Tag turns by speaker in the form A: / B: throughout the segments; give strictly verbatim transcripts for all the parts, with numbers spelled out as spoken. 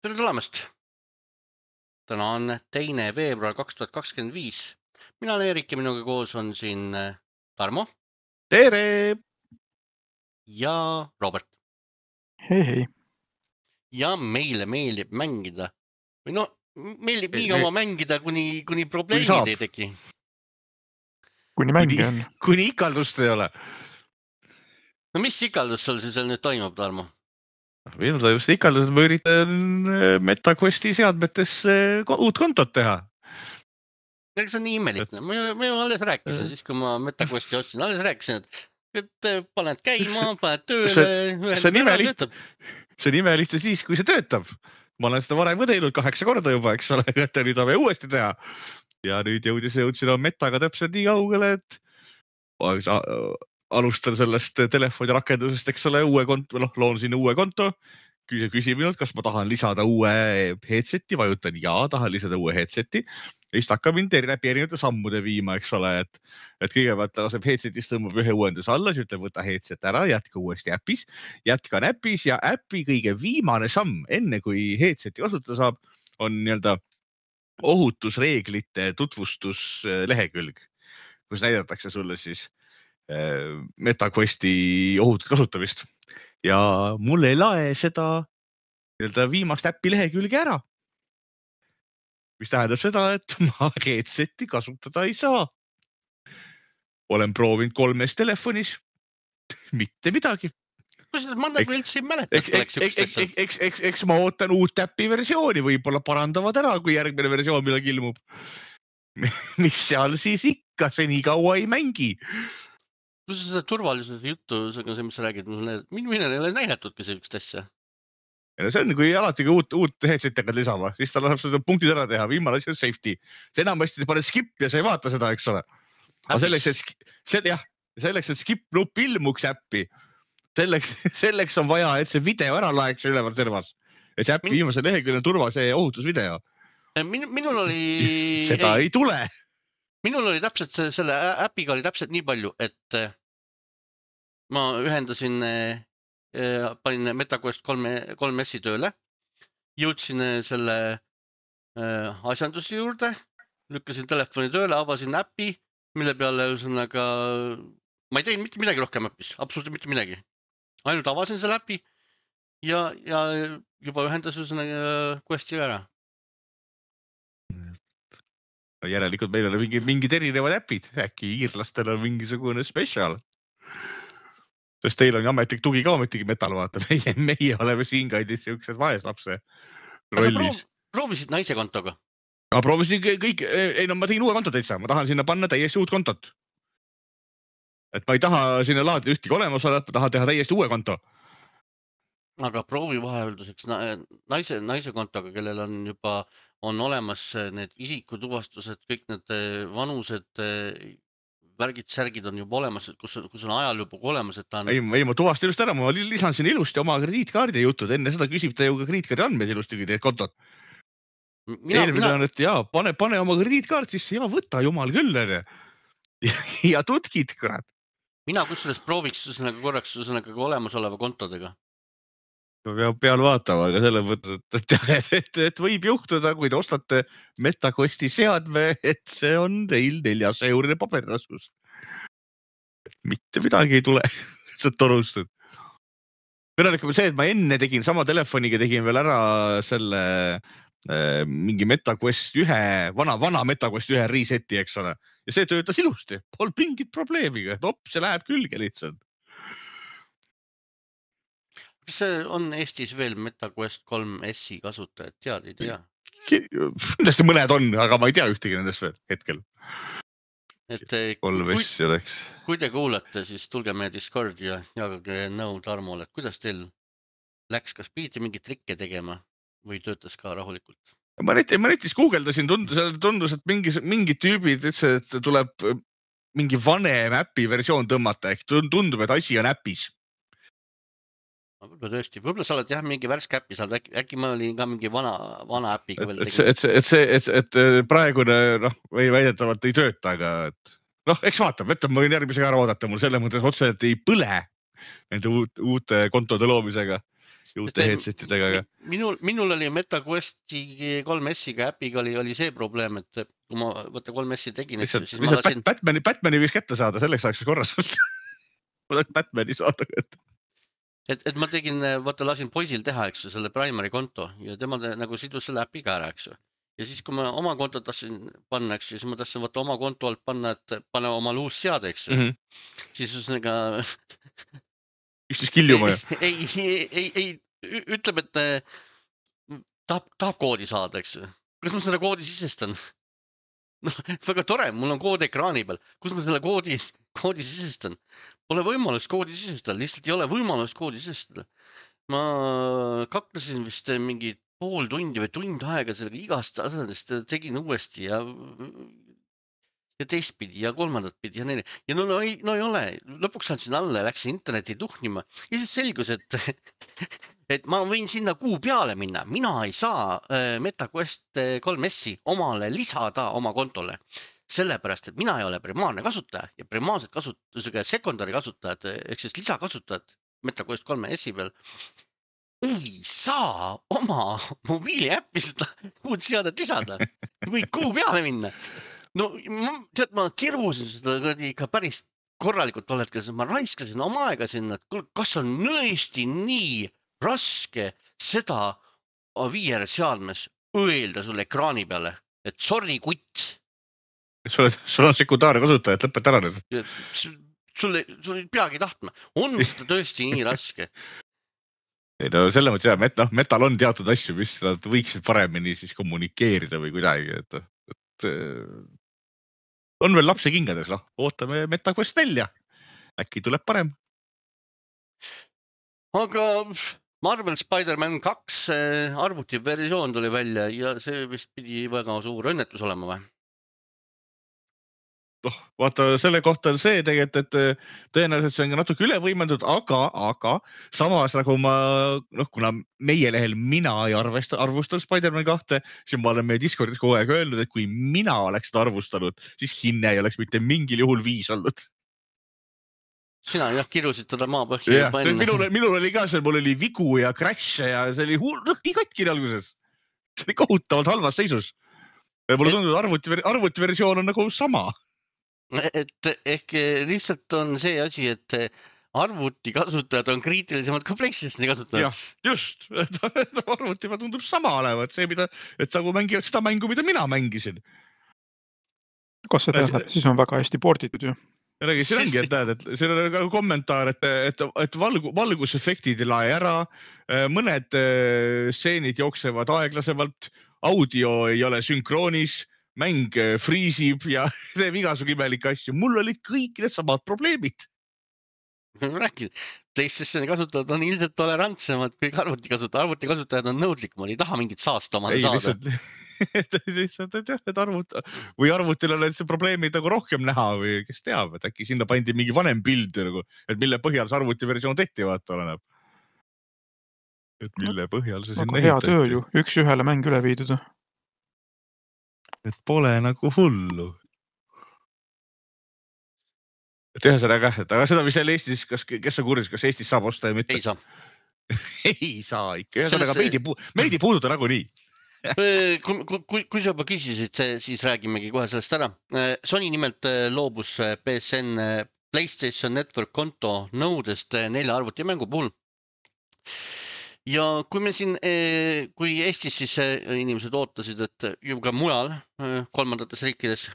A: Tere tulemast! Täna on teine veebruar kaks tuhat kakskümmend viis. Mina olen Erik ja minuga koos on siin Tarmo.
B: Tere!
A: Ja Robert.
C: Hei hei.
A: Ja meile meeldib mängida. Või no, meeldib nii kaua mängida, kuni, kuni probleemid ei teki.
C: Kuni mängi on.
B: Kuni ikaldust ei ole.
A: No mis ikaldus sul siis nüüd toimub, Tarmo?
B: Minul ta just ikaldus, et ma üritan MetaQuesti seadmetes uut kontot teha.
A: Ega see on nii imelik. Ma, ma ju alles rääkisin, siis kui ma MetaQuesti ostsin, alles rääkisin, et, et paned käima, paned tööle.
B: See, see, on imelik, see on imelik siis, kui see töötab. Ma olen seda varem teinud kaheksa korda juba, eks ole, et nüüd on vaja uuesti teha. Ja nüüd jõudis, jõudsin on Metaga täpselt nii kaugele, et alustan sellest telefoni rakendusest, eks ole, uue konto, noh, loon sinna uue konto, küsib minult, kas ma tahan lisada uue headseti, vajutan ja, tahan lisada uue headseti, ja siis hakkab mind läbi erinevate sammude viima, eks ole, et, et kõigepealt laseb headsetist tõmbab ühe uuendus alla, siis ütleb, võta headset ära, jätka uuesti äpis, jätkan äpis ja äpi kõige viimane samm, enne kui headseti kasutada saab, on nii-öelda ohutusreeglite tutvustus lehekülg, kus näidatakse sulle siis MetaQuesti ohutut kasutamist ja mul ei lae seda viimast äppi lehekülge ära. Mis tähendab seda, et ma headseti kasutada ei saa. Olen proovinud kolmes telefonis, mitte midagi.
A: Kus ma nagu üldse ei mäleta, et oleks ükstesse?
B: Eks, eks, eks ma ootan uut äppi versiooni, võib-olla parandavad ära, kui järgmine versioon millega ilmub. Mis seal siis ikka, see nii kaua ei mängi.
A: Kus seda turvalisuse juttu, see, mis sa räägid, minul ei ole näidatudki see ükst asja.
B: See on, kui alati kui uut, uut headset hakkad lisama, siis ta laseb seda punktid ära teha, viimane asi on safety. See enamasti paned skip ja sa ei vaata seda, eks ole. Aga selleks, et, sel, jah, selleks, et skip nupp ilmuks äppi, selleks, selleks on vaja, et see video ära laeks üleval servas. Et see äppi Min... viimase lehekülje turva, see ohutusvideo.
A: Min, minul oli...
B: Seda ei, ei tule.
A: Minul oli täpselt, selle äpiga oli täpselt nii palju, et ma ühendasin, panin MetaQuest kolm S-i tööle, jõudsin selle asjanduse juurde, lükkasin telefoni tööle, avasin äpi, mille peale ühesõnaga, ma ei teinud mitte midagi rohkem äpis, absoluutselt mitte midagi. Ainult avasin selle äpi ja, ja juba ühendas ühesõnaga Questi ära.
B: Järelikult meil on mingi, mingid erinevad äpid, äkki iirlastel on mingisugune special. Sest teil on ametlik tugi ka ametigi metal vaata, meie, meie oleme siin kaidis siuksed vaeslapse rollis.
A: Sa proovisid naise kontoga?
B: Ma proovisin kõik, ei no ma tegin uue konto täitsa, ma tahan sinna panna täiesti uut kontot. Et ma ei taha sinna laadida ühtegi olemas olla, ma tahan teha täiesti uue konto.
A: Aga proovi vahelduseks naise, naise kontoga, kellel on juba on olemas need isikutuvastused, kõik need vanused, värgid, särgid on juba olemas, kus, kus on ajal juba olemas, et ta on...
B: Ei, ei ma tuvastan just ära, ma lisan siin ilusti oma krediitkaardi jutud, enne seda küsib ta ju ka krediitkaardi andmeid ilusti, kui teed kontot. Mina, Eelmine mina... on, et jaa, pane, pane oma krediitkaart sisse, ja võta jumal küll, ja, ja tutkid, kurat.
A: Mina kusjuures prooviks üsnaga korraks üsnaga olemasoleva kontodega.
B: Peab peal vaatama, aga selle mõttes, et, et, et, et võib juhtuda, kui te ostate MetaQuesti seadme, et see on teil neljas eurine paberraskus. Mitte midagi ei tule, see on torustad. Kõnelikum see, et ma enne tegin sama telefoniga, tegin veel ära selle äh, mingi MetaQuest ühe, vana, vana MetaQuest ühe reseti, eks ole. Ja see töötas ilusti, pol mingit probleemiga, et op, see läheb külge lihtsalt.
A: Kas see on Eestis veel MetaQuest kolm S-i kasutajad, tead, ei tea?
B: Nendest mõned on, aga ma ei tea ühtegi nendest veel hetkel.
A: Et kui, kui te kuulate, siis tulge meie Discordi ja jagage nõu Tarmole, et kuidas teil läks, kas pidite mingit trikke tegema või töötas ka rahulikult?
B: Ma netis, ma netis guugeldasin, tundus, tundus, et mingi, mingi tüübid ütles, et tuleb mingi vanem äpi versioon tõmmata, ehk tundub, et asi on äpis.
A: Võib-olla tõesti, võib-olla sa oled jah mingi värske äppi, äkki, äkki ma olin ka mingi vana, vana äpiga veel
B: tegema. Et, et, et, et, et praegune noh, või väidetavalt ei tööta, aga et, noh, eks vaatab, võtta, ma võin järgmisega ära oodata, mul selle mõttes otse, et ei põle nende uut, uute kontode loomisega. uute headsetidega. Aga...
A: Minul, minul oli MetaQuesti kolm S-iga äpiga oli, oli see probleem, et kui ma võtta kolm S-i tegin, et
B: lihtsalt,
A: siis ma lasin...
B: Batmani, Batmani võiks kätte saada, selleks saaks korras ma tahaks Batmani saada kätte.
A: Et, et ma tegin, vaata lasin poisil teha, eks ju, selle primary konto ja tema te, nagu sidus selle äpiga ära, eks ju. Ja siis, kui ma oma konto tahtsin panna, eks ju, siis ma tahtsin vaata oma konto alt panna, et pane oma uus seade, eks ju. Mm -hmm. Siis üsnega...
B: Üksteis kiljuma ju.
A: Ei, ei, ei, ei, ütleb, et tahab, tahab koodi saada, eks ju. Kas ma selle koodi sisestan? No, väga tore, mul on kood ekraani peal. Kus ma selle koodi, koodi sisestan? Pole võimalust koodi sisestada, lihtsalt ei ole võimalust koodi sisestada. Ma kaklesin vist mingi pool tundi või tund aega sellega igast asjadest tegin uuesti ja, ja teistpidi ja kolmandat pidi ja neile. Ja no, no, ei, no ei ole, lõpuks andsin alla ja läksin interneti tuhnima ja siis selgus, et, et ma võin sinna kuu peale minna. Mina ei saa MetaQuest kolm S-i omale lisada oma kontole. Sellepärast, et mina ei ole primaarne kasutaja ja primaarsed kasutusega sekundari kasutajad, ehk siis lisakasutajad MetaQuest kolm S-i peal ei saa oma mobiili äppi seda uut seadet lisada. Võid kuu peale minna. No tead, ma kirusin seda ikka päris korralikult tollel, ma raiskasin oma aega sinna, et kas on nõesti nii raske seda V R seadmes öelda sulle ekraani peale, et sorry kutt.
B: Sul on sekundaarne kasutaja, et lõpeta ära nüüd.
A: Sul ei peagi tahtma. On seda tõesti nii raske?
B: Ei no selle mõttes jah, met, no, metal on teatud asju, mis nad võiksid paremini siis kommunikeerida või kuidagi. Et, et, on veel lapse kingades, noh, ootame MetaQuest välja. Äkki tuleb parem.
A: Aga Marvel Spider-Man kaks arvuti versioon tuli välja ja see vist pidi väga suur õnnetus olema või?
B: noh, vaata selle kohta on see tegelikult, et tõenäoliselt see on ka natuke üle võimendatud, aga, aga samas nagu ma, noh, kuna meie lehel mina ei arvesta, arvustan Spider-Man kahte, siis ma olen meie Discordis kogu aeg öelnud, et kui mina oleks seda arvustanud, siis hinne ei oleks mitte mingil juhul viis olnud.
A: Sina jah, kirusid teda maapõhja juba enne.
B: Minul, minul oli ka seal, mul oli vigu ja crash'e ja see oli hull, noh, nii katkine alguses. See oli kohutavalt halvas seisus. Mulle tundub, et arvuti, arvuti versioon on nagu sama.
A: Et ehk lihtsalt on see asi, et arvuti kasutajad on kriitilisemad kui PlayStationi kasutajad.
B: Jah, just. Arvuti ma tundub sama olevat. See, mida, et sa mängivad seda mängu, mida mina mängisin.
C: Kas see tähendab, siis on väga hästi porditud ju.
B: Räägi, see ongi, et näed, et see on ka kommentaar, et, et, et valgu, valgusefektid ei lae ära, mõned stseenid jooksevad aeglasemalt, audio ei ole sünkroonis, mäng friisib ja teeb igasugu imelikke asju. Mul olid kõik need samad probleemid.
A: Räägin, PlayStationi kasutajad on ilmselt tolerantsemad kui arvuti kasutajad. Arvuti kasutajad on nõudlikumad, ei taha mingit saasta omale saada.
B: Lihtsalt, lihtsalt, et jah, et arvut, või arvutil on see probleemid nagu rohkem näha või kes teab, et äkki sinna pandi mingi vanem pild, nagu, et mille põhjal see arvuti versioon tehti, vaata oleneb. Et mille põhjal see sinna
C: hea töö ju, üks ühele mäng üle viidud.
B: Et pole nagu hullu. Et ühesõnaga, et aga seda, mis seal Eestis, kas, kes on kursis, kas Eestis saab osta ja mitte?
A: Ei saa.
B: Ei saa ikka. Ühesõnaga, meid ei, pu- meid ei puuduta nagu nii.
A: kui, kui, kui sa juba küsisid, siis räägimegi kohe sellest ära. Sony nimelt loobus P S N PlayStation Network konto nõudest nelja arvutimängu puhul. Ja kui me siin, kui Eestis siis inimesed ootasid, et juba mujal, kolmandates riikides,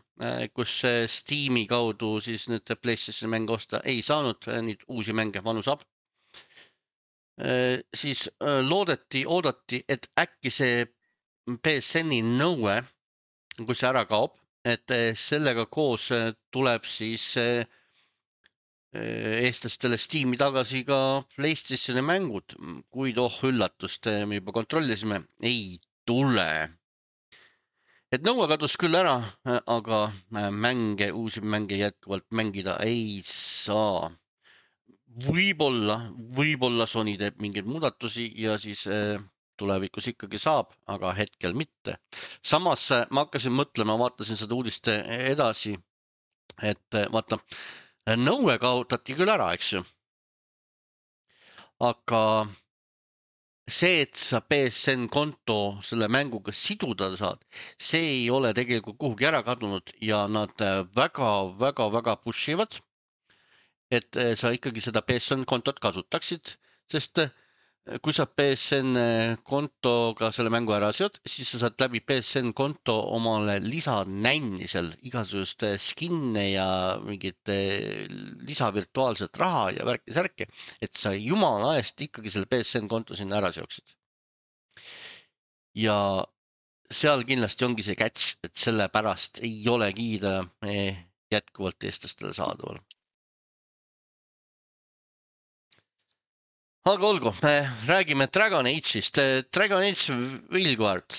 A: kus Steam'i kaudu siis nüüd PlayStation mänge osta ei saanud, nüüd uusi mänge vanu saab, siis loodeti, oodati, et äkki see P S N-i nõue, kui see ära kaob, et sellega koos tuleb siis eestlastele Steam'i tagasi ka PlayStationi mängud, kuid oh üllatust, me juba kontrollisime, ei tule. Et nõue kadus küll ära, aga mänge, uusi mänge jätkuvalt mängida ei saa. Võib-olla, võib-olla Sony teeb mingeid muudatusi ja siis tulevikus ikkagi saab, aga hetkel mitte. Samas ma hakkasin mõtlema, vaatasin seda uudist edasi, et vaata, nõue kaotati küll ära, eks ju. Aga see, et sa P S N konto selle mänguga siduda saad, see ei ole tegelikult kuhugi ära kadunud ja nad väga-väga-väga push ivad, et sa ikkagi seda P S N kontot kasutaksid, sest kui sa P S N kontoga selle mängu ära seod, siis sa saad läbi P S N konto omale lisanänni seal igasugust skinne ja mingit lisavirtuaalset raha ja värki särki, et sa jumala eest ikkagi selle P S N konto sinna ära seoksid. Ja seal kindlasti ongi see catch, et selle pärast ei ole kiida jätkuvalt eestlastele saadaval. Aga olgu, räägime Dragon Age'ist. Dragon Age Veilguard.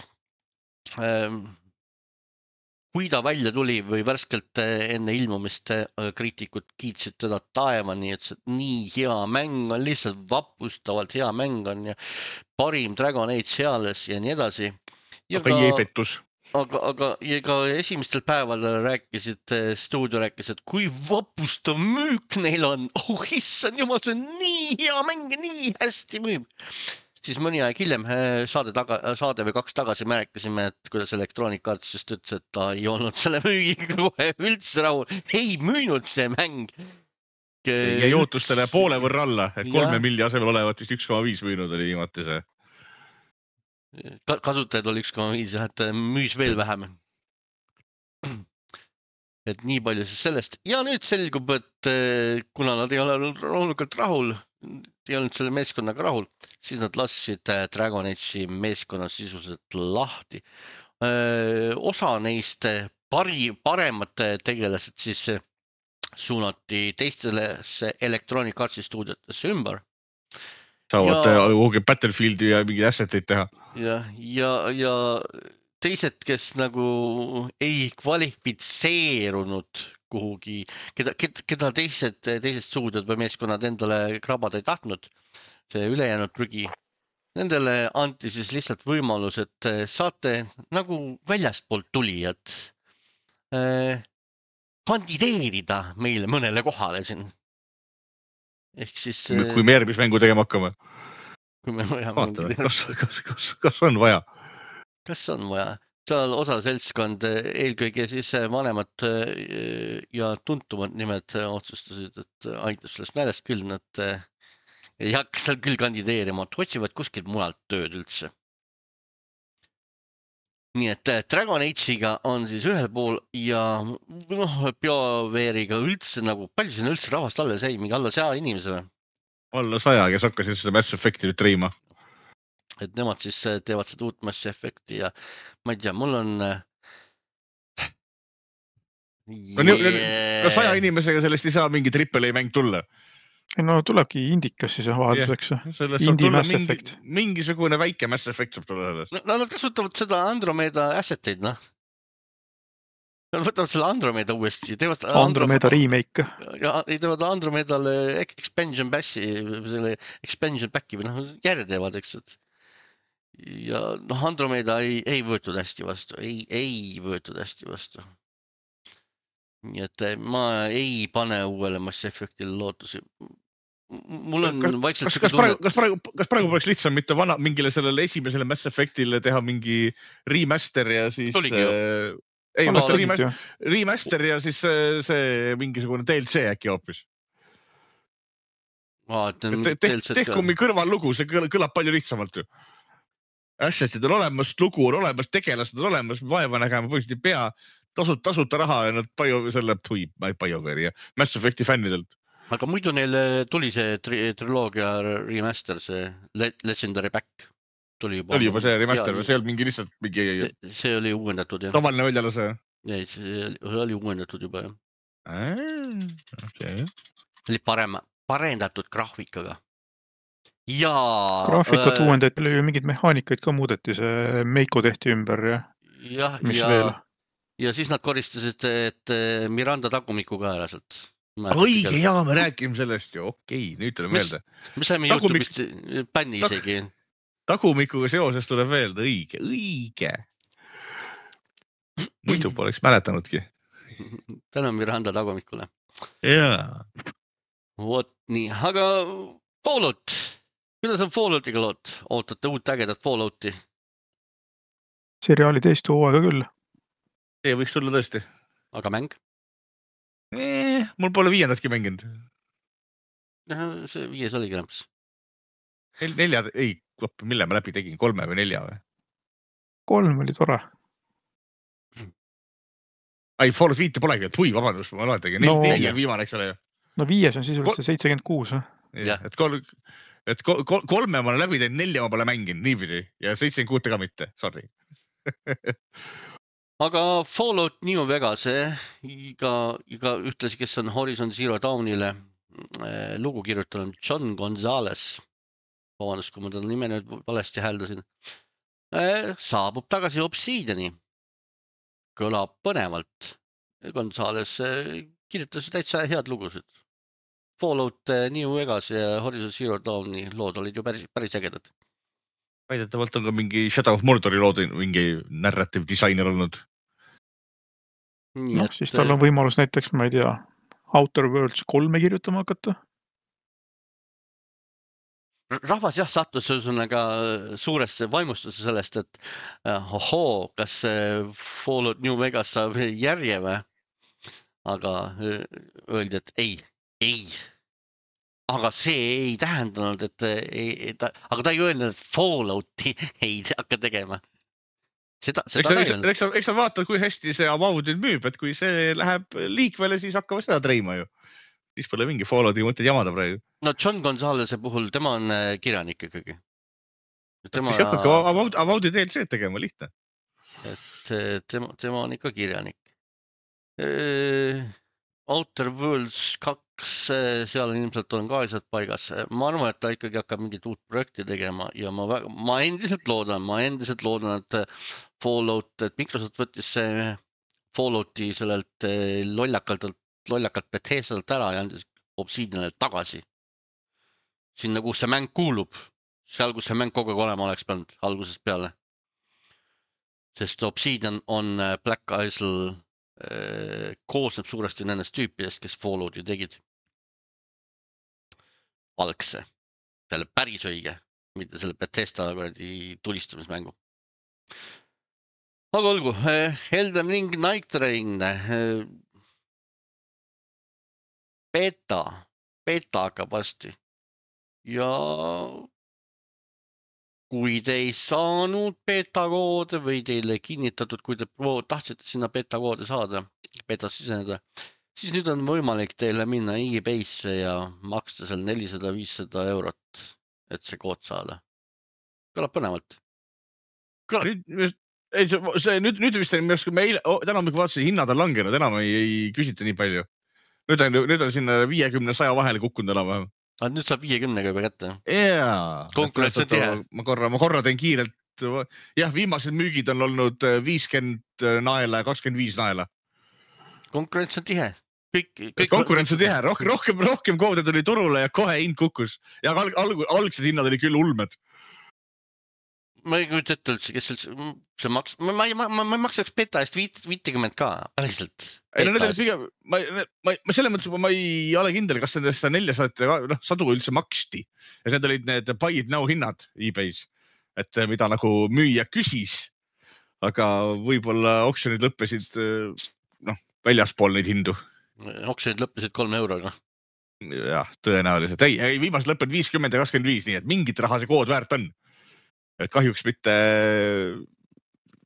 A: Kui ta välja tuli või värskelt enne ilmumist kriitikud kiitsid teda taevani, et see nii hea mäng on, lihtsalt vapustavalt hea mäng on ja parim Dragon Age seales ja nii edasi. Ja
B: aga ei pettus.
A: Aga, aga ja ka esimestel päevadel rääkisid, stuudio rääkis, et kui vapustav müük neil on. Oh, issand jumal, see on nii hea mäng, nii hästi müüb. Siis mõni aeg hiljem saade, taga, saade või kaks tagasi me rääkisime, et kuidas Electronic Arts just ütles, et ta ei olnud selle müügiga kohe üldse rahul. Ei müünud see mäng.
B: Ja jootustele poole võrra alla, et kolme milli asemel olevat vist üks koma viis müünud oli viimati see.
A: Kasutajad oli üks koma viis, et müüs veel vähem. Et nii palju siis sellest. Ja nüüd selgub, et kuna nad ei ole loomulikult rahul, ei olnud selle meeskonnaga rahul, siis nad lasid Dragon Age'i meeskonna sisuliselt lahti. Osa neist pari, paremad tegelased siis suunati teistele Electronic Artsi stuudiotesse ümber.
B: Saavad ja, Battlefieldi ja mingi asseteid teha.
A: Ja, ja, ja teised, kes nagu ei kvalifitseerunud kuhugi, keda, keda teised, teised stuudiod või meeskonnad endale krabada ei tahtnud, see ülejäänud prügi, nendele anti siis lihtsalt võimalus, et saate nagu väljastpoolt tulijad eh, kandideerida meile mõnele kohale siin. Ehk siis...
B: Kui me järgmis mängu tegema hakkame.
A: Kui me
B: vaatame, kas, kas, kas, kas on vaja?
A: Kas on vaja? Seal osa seltskond, eelkõige siis vanemad ja tuntumad nimed otsustasid, et aitab sellest näljast küll, nad ei hakka seal küll kandideerima, et otsivad kuskilt mujalt tööd üldse. Nii et Dragon Age'iga on siis ühel pool ja noh, BioWare'iga üldse nagu, palju siin üldse rahvast alles ei, mingi alla saja inimese või?
B: Alla saja, kes hakkasid seda Mass Effecti nüüd triima.
A: Et nemad siis teevad seda uut Mass Effecti ja ma ei tea, mul on...
B: Yeah. No saja inimesega sellest ei saa mingi triple A mäng tulla.
C: No tulebki indikas siis vahelduseks.
B: Yeah.
C: Indi Mass
B: mingi,
C: Effect.
B: Mingisugune väike Mass Effect saab tulla sellest.
A: No nad kasutavad seda Andromeda asseteid, noh. Nad võtavad selle Andromeda uuesti.
C: Andromeda Andromeda remake.
A: Ja teevad Andromedale expansion passi, selle expansion packi või noh, järje teevad, eks. Et. Ja noh, Andromeda ei, ei võetud hästi vastu. Ei, ei võetud hästi vastu. Nii et ma ei pane uuele Mass Effectile lootusi. Mul on
B: kas,
A: vaikselt
B: kas, kas, praegu, kas, praegu, kas praegu poleks lihtsam mitte vana, mingile sellele esimesele Mass Effectile teha mingi remaster ja siis...
A: Tuligi ju.
B: Äh, ei, master, remaster, remaster ja siis see, see mingisugune D L C äkki hoopis. Tehku mingi kõrvallugu, see kõlab palju lihtsamalt ju. Assetid on olemas, lugu on olemas, tegelased on olemas, vaeva nägema põhiliselt ei pea, tasut, tasuta raha ja nad bio, selle tui, BioWare'i ja Mass Effecti fännidelt.
A: Aga muidu neil tuli see tri triloogia remaster, see Legendary Back. Tuli juba,
B: oli juba see remaster või see oli mingi lihtsalt mingi...
A: See, see oli uuendatud, jah.
B: Tavaline väljalase?
A: Ei, see oli uuendatud juba, jah.
B: Okay.
A: Oli parem, parendatud graafikaga. Ja...
C: Graafikat äh... uuendati, oli mingid mehaanikaid ka muudeti, see Meiko tehti ümber ja...
A: Jah, ja... Veel? Ja siis nad koristasid, et Miranda tagumiku ka ära sealt.
B: Õige, jaa, me räägime sellest ju, okei, nüüd tuleb meelde.
A: Me saime Tagumik... YouTube'ist bänni Tag... isegi.
B: Tagumikuga seoses tuleb meelde, õige, õige. Muidu poleks mäletanudki.
A: Tänu Miranda tagumikule.
B: Jaa.
A: Vot nii, aga Fallout kuidas on Falloutiga lood? Ootate uut ägedat Fallouti?
C: seriaali teist hooaega küll.
B: see võiks tulla tõesti.
A: Aga mäng?
B: Eh, mul pole viiendatki mänginud.
A: See viies oli kämps.
B: Nel, nelja, ei, mille ma läbi tegin, kolme või nelja või?
C: Kolm oli tore.
B: Ai, Fallout viite polegi, et hui, vabandust, ma loetegin.
C: No,
B: neli on viimane, eks ole ju.
C: No viies on sisuliselt see seitsekümmend kuus.
B: Ja, et, kol, et kol, kolme ma olen läbi teinud, nelja ma pole mänginud, niipidi. Ja seitsekümmend kuus ka mitte, sorry.
A: Aga Fallout New Vegas, iga, iga ühtlasi, kes on Horizon Zero Dawnile eh, lugu kirjutanud, John Gonzalez, vabandust, kui ma ta nime nüüd valesti hääldasin, eh, saabub tagasi Obsidiani. Kõlab põnevalt. Gonzales kirjutas täitsa head lugusid. Fallout New Vegas ja Horizon Zero Dawni lood olid ju päris, päris ägedad.
B: Väidetavalt on ka mingi Shadow of Mordori lood mingi narrative disainer olnud.
C: No, siis tal on võimalus näiteks, ma ei tea, Outer Worlds kolme kirjutama hakata.
A: Rahvas jah sattus ühesõnaga suuresse vaimustuse sellest, et ohoo, kas Fallout New Vegas saab järje või? Aga öeldi, et ei, ei. Aga see ei tähendanud, et ei, ta, aga ta ei öelnud, et Fallouti ei hakka tegema. Seda, seda
B: eks,
A: ta
B: eks, eks, eks sa vaatad, kui hästi see Avowed müüb, et kui see läheb liikvele, siis hakkavad seda treima ju. Siis pole mingi Fallouti mõtted jamada praegu.
A: No John Gonzalez'e puhul, tema on kirjanik ikkagi.
B: Tema... Mis hakkabki Avowed, Avowedi D L C tegema, lihtne.
A: Et tema, tema on ikka kirjanik. E, Outer Worlds kaks, seal ilmselt on ka asjad paigas. Ma arvan, et ta ikkagi hakkab mingit uut projekti tegema ja ma, väga, ma endiselt loodan, ma endiselt loodan, et Fallout, et Microsoft võttis see Fallouti sellelt lollakalt lollakalt Bethesdalt ära ja andis Obsidianile tagasi. Sinna, kus see mäng kuulub. Seal, kus see mäng kogu aeg olema oleks pidanud algusest peale. Sest Obsidian on Black Isle eh, koosneb suuresti nendest tüüpidest, kes Fallouti tegid. Algse. Selle päris õige. Mitte selle Bethesda tulistamismängu. Aga olgu. Elden Ring Night Train... Eh, Beta, beta hakkab vasti ja kui te ei saanud beta koode või teile kinnitatud, kui te tahtsite sinna beta koode saada, beta siseneda, siis nüüd on võimalik teile minna e-base'e ja maksta seal nelisada viissada eurot, et see kood saada. Kõlab põnevalt.
B: Kõlab... Nüüd, ei, see, nüüd, nüüd vist on, me eile, täna me vaatasin, hinnad on langenud, enam ei, ei küsita nii palju. Nüüd on, nüüd on sinna viiekümne saja vahele kukkunud enam.
A: Nüüd saab viiekümnega juba kätte.
B: Jaa.
A: Konkurents on tihe.
B: Ma korra, ma korra teen kiirelt. Jah, viimased müügid on olnud viiskümmend naela ja kakskümmend viis naela.
A: Konkurents on tihe. Kõik, kõik,
B: konkurents on tihe. Rohkem, rohkem, rohkem koode tuli turule ja kohe hind kukkus. Ja alg, alg, algsed hinnad oli küll ulmed.
A: Ma ei kujuta ette üldse, kes üldse see maks... Ma, ma, ma, ma, ma maksaks beta eest viitekümmet ka, päriselt.
B: Ei, no need oli pigem, ma, ma, ma selle mõttes, ma ei ole kindel, kas nendest neljasada no, sadu üldse maksti. Ja need olid need buy it now hinnad e-base, et mida nagu müüja küsis, aga võib-olla oksjonid lõppesid noh, väljaspool neid hindu.
A: Oksjonid lõppesid kolme euroga.
B: Jah, tõenäoliselt. Ei, ei viimased lõppenud viiskümmend ja kakskümmend viis, nii et mingit raha see kood väärt on. Et kahjuks mitte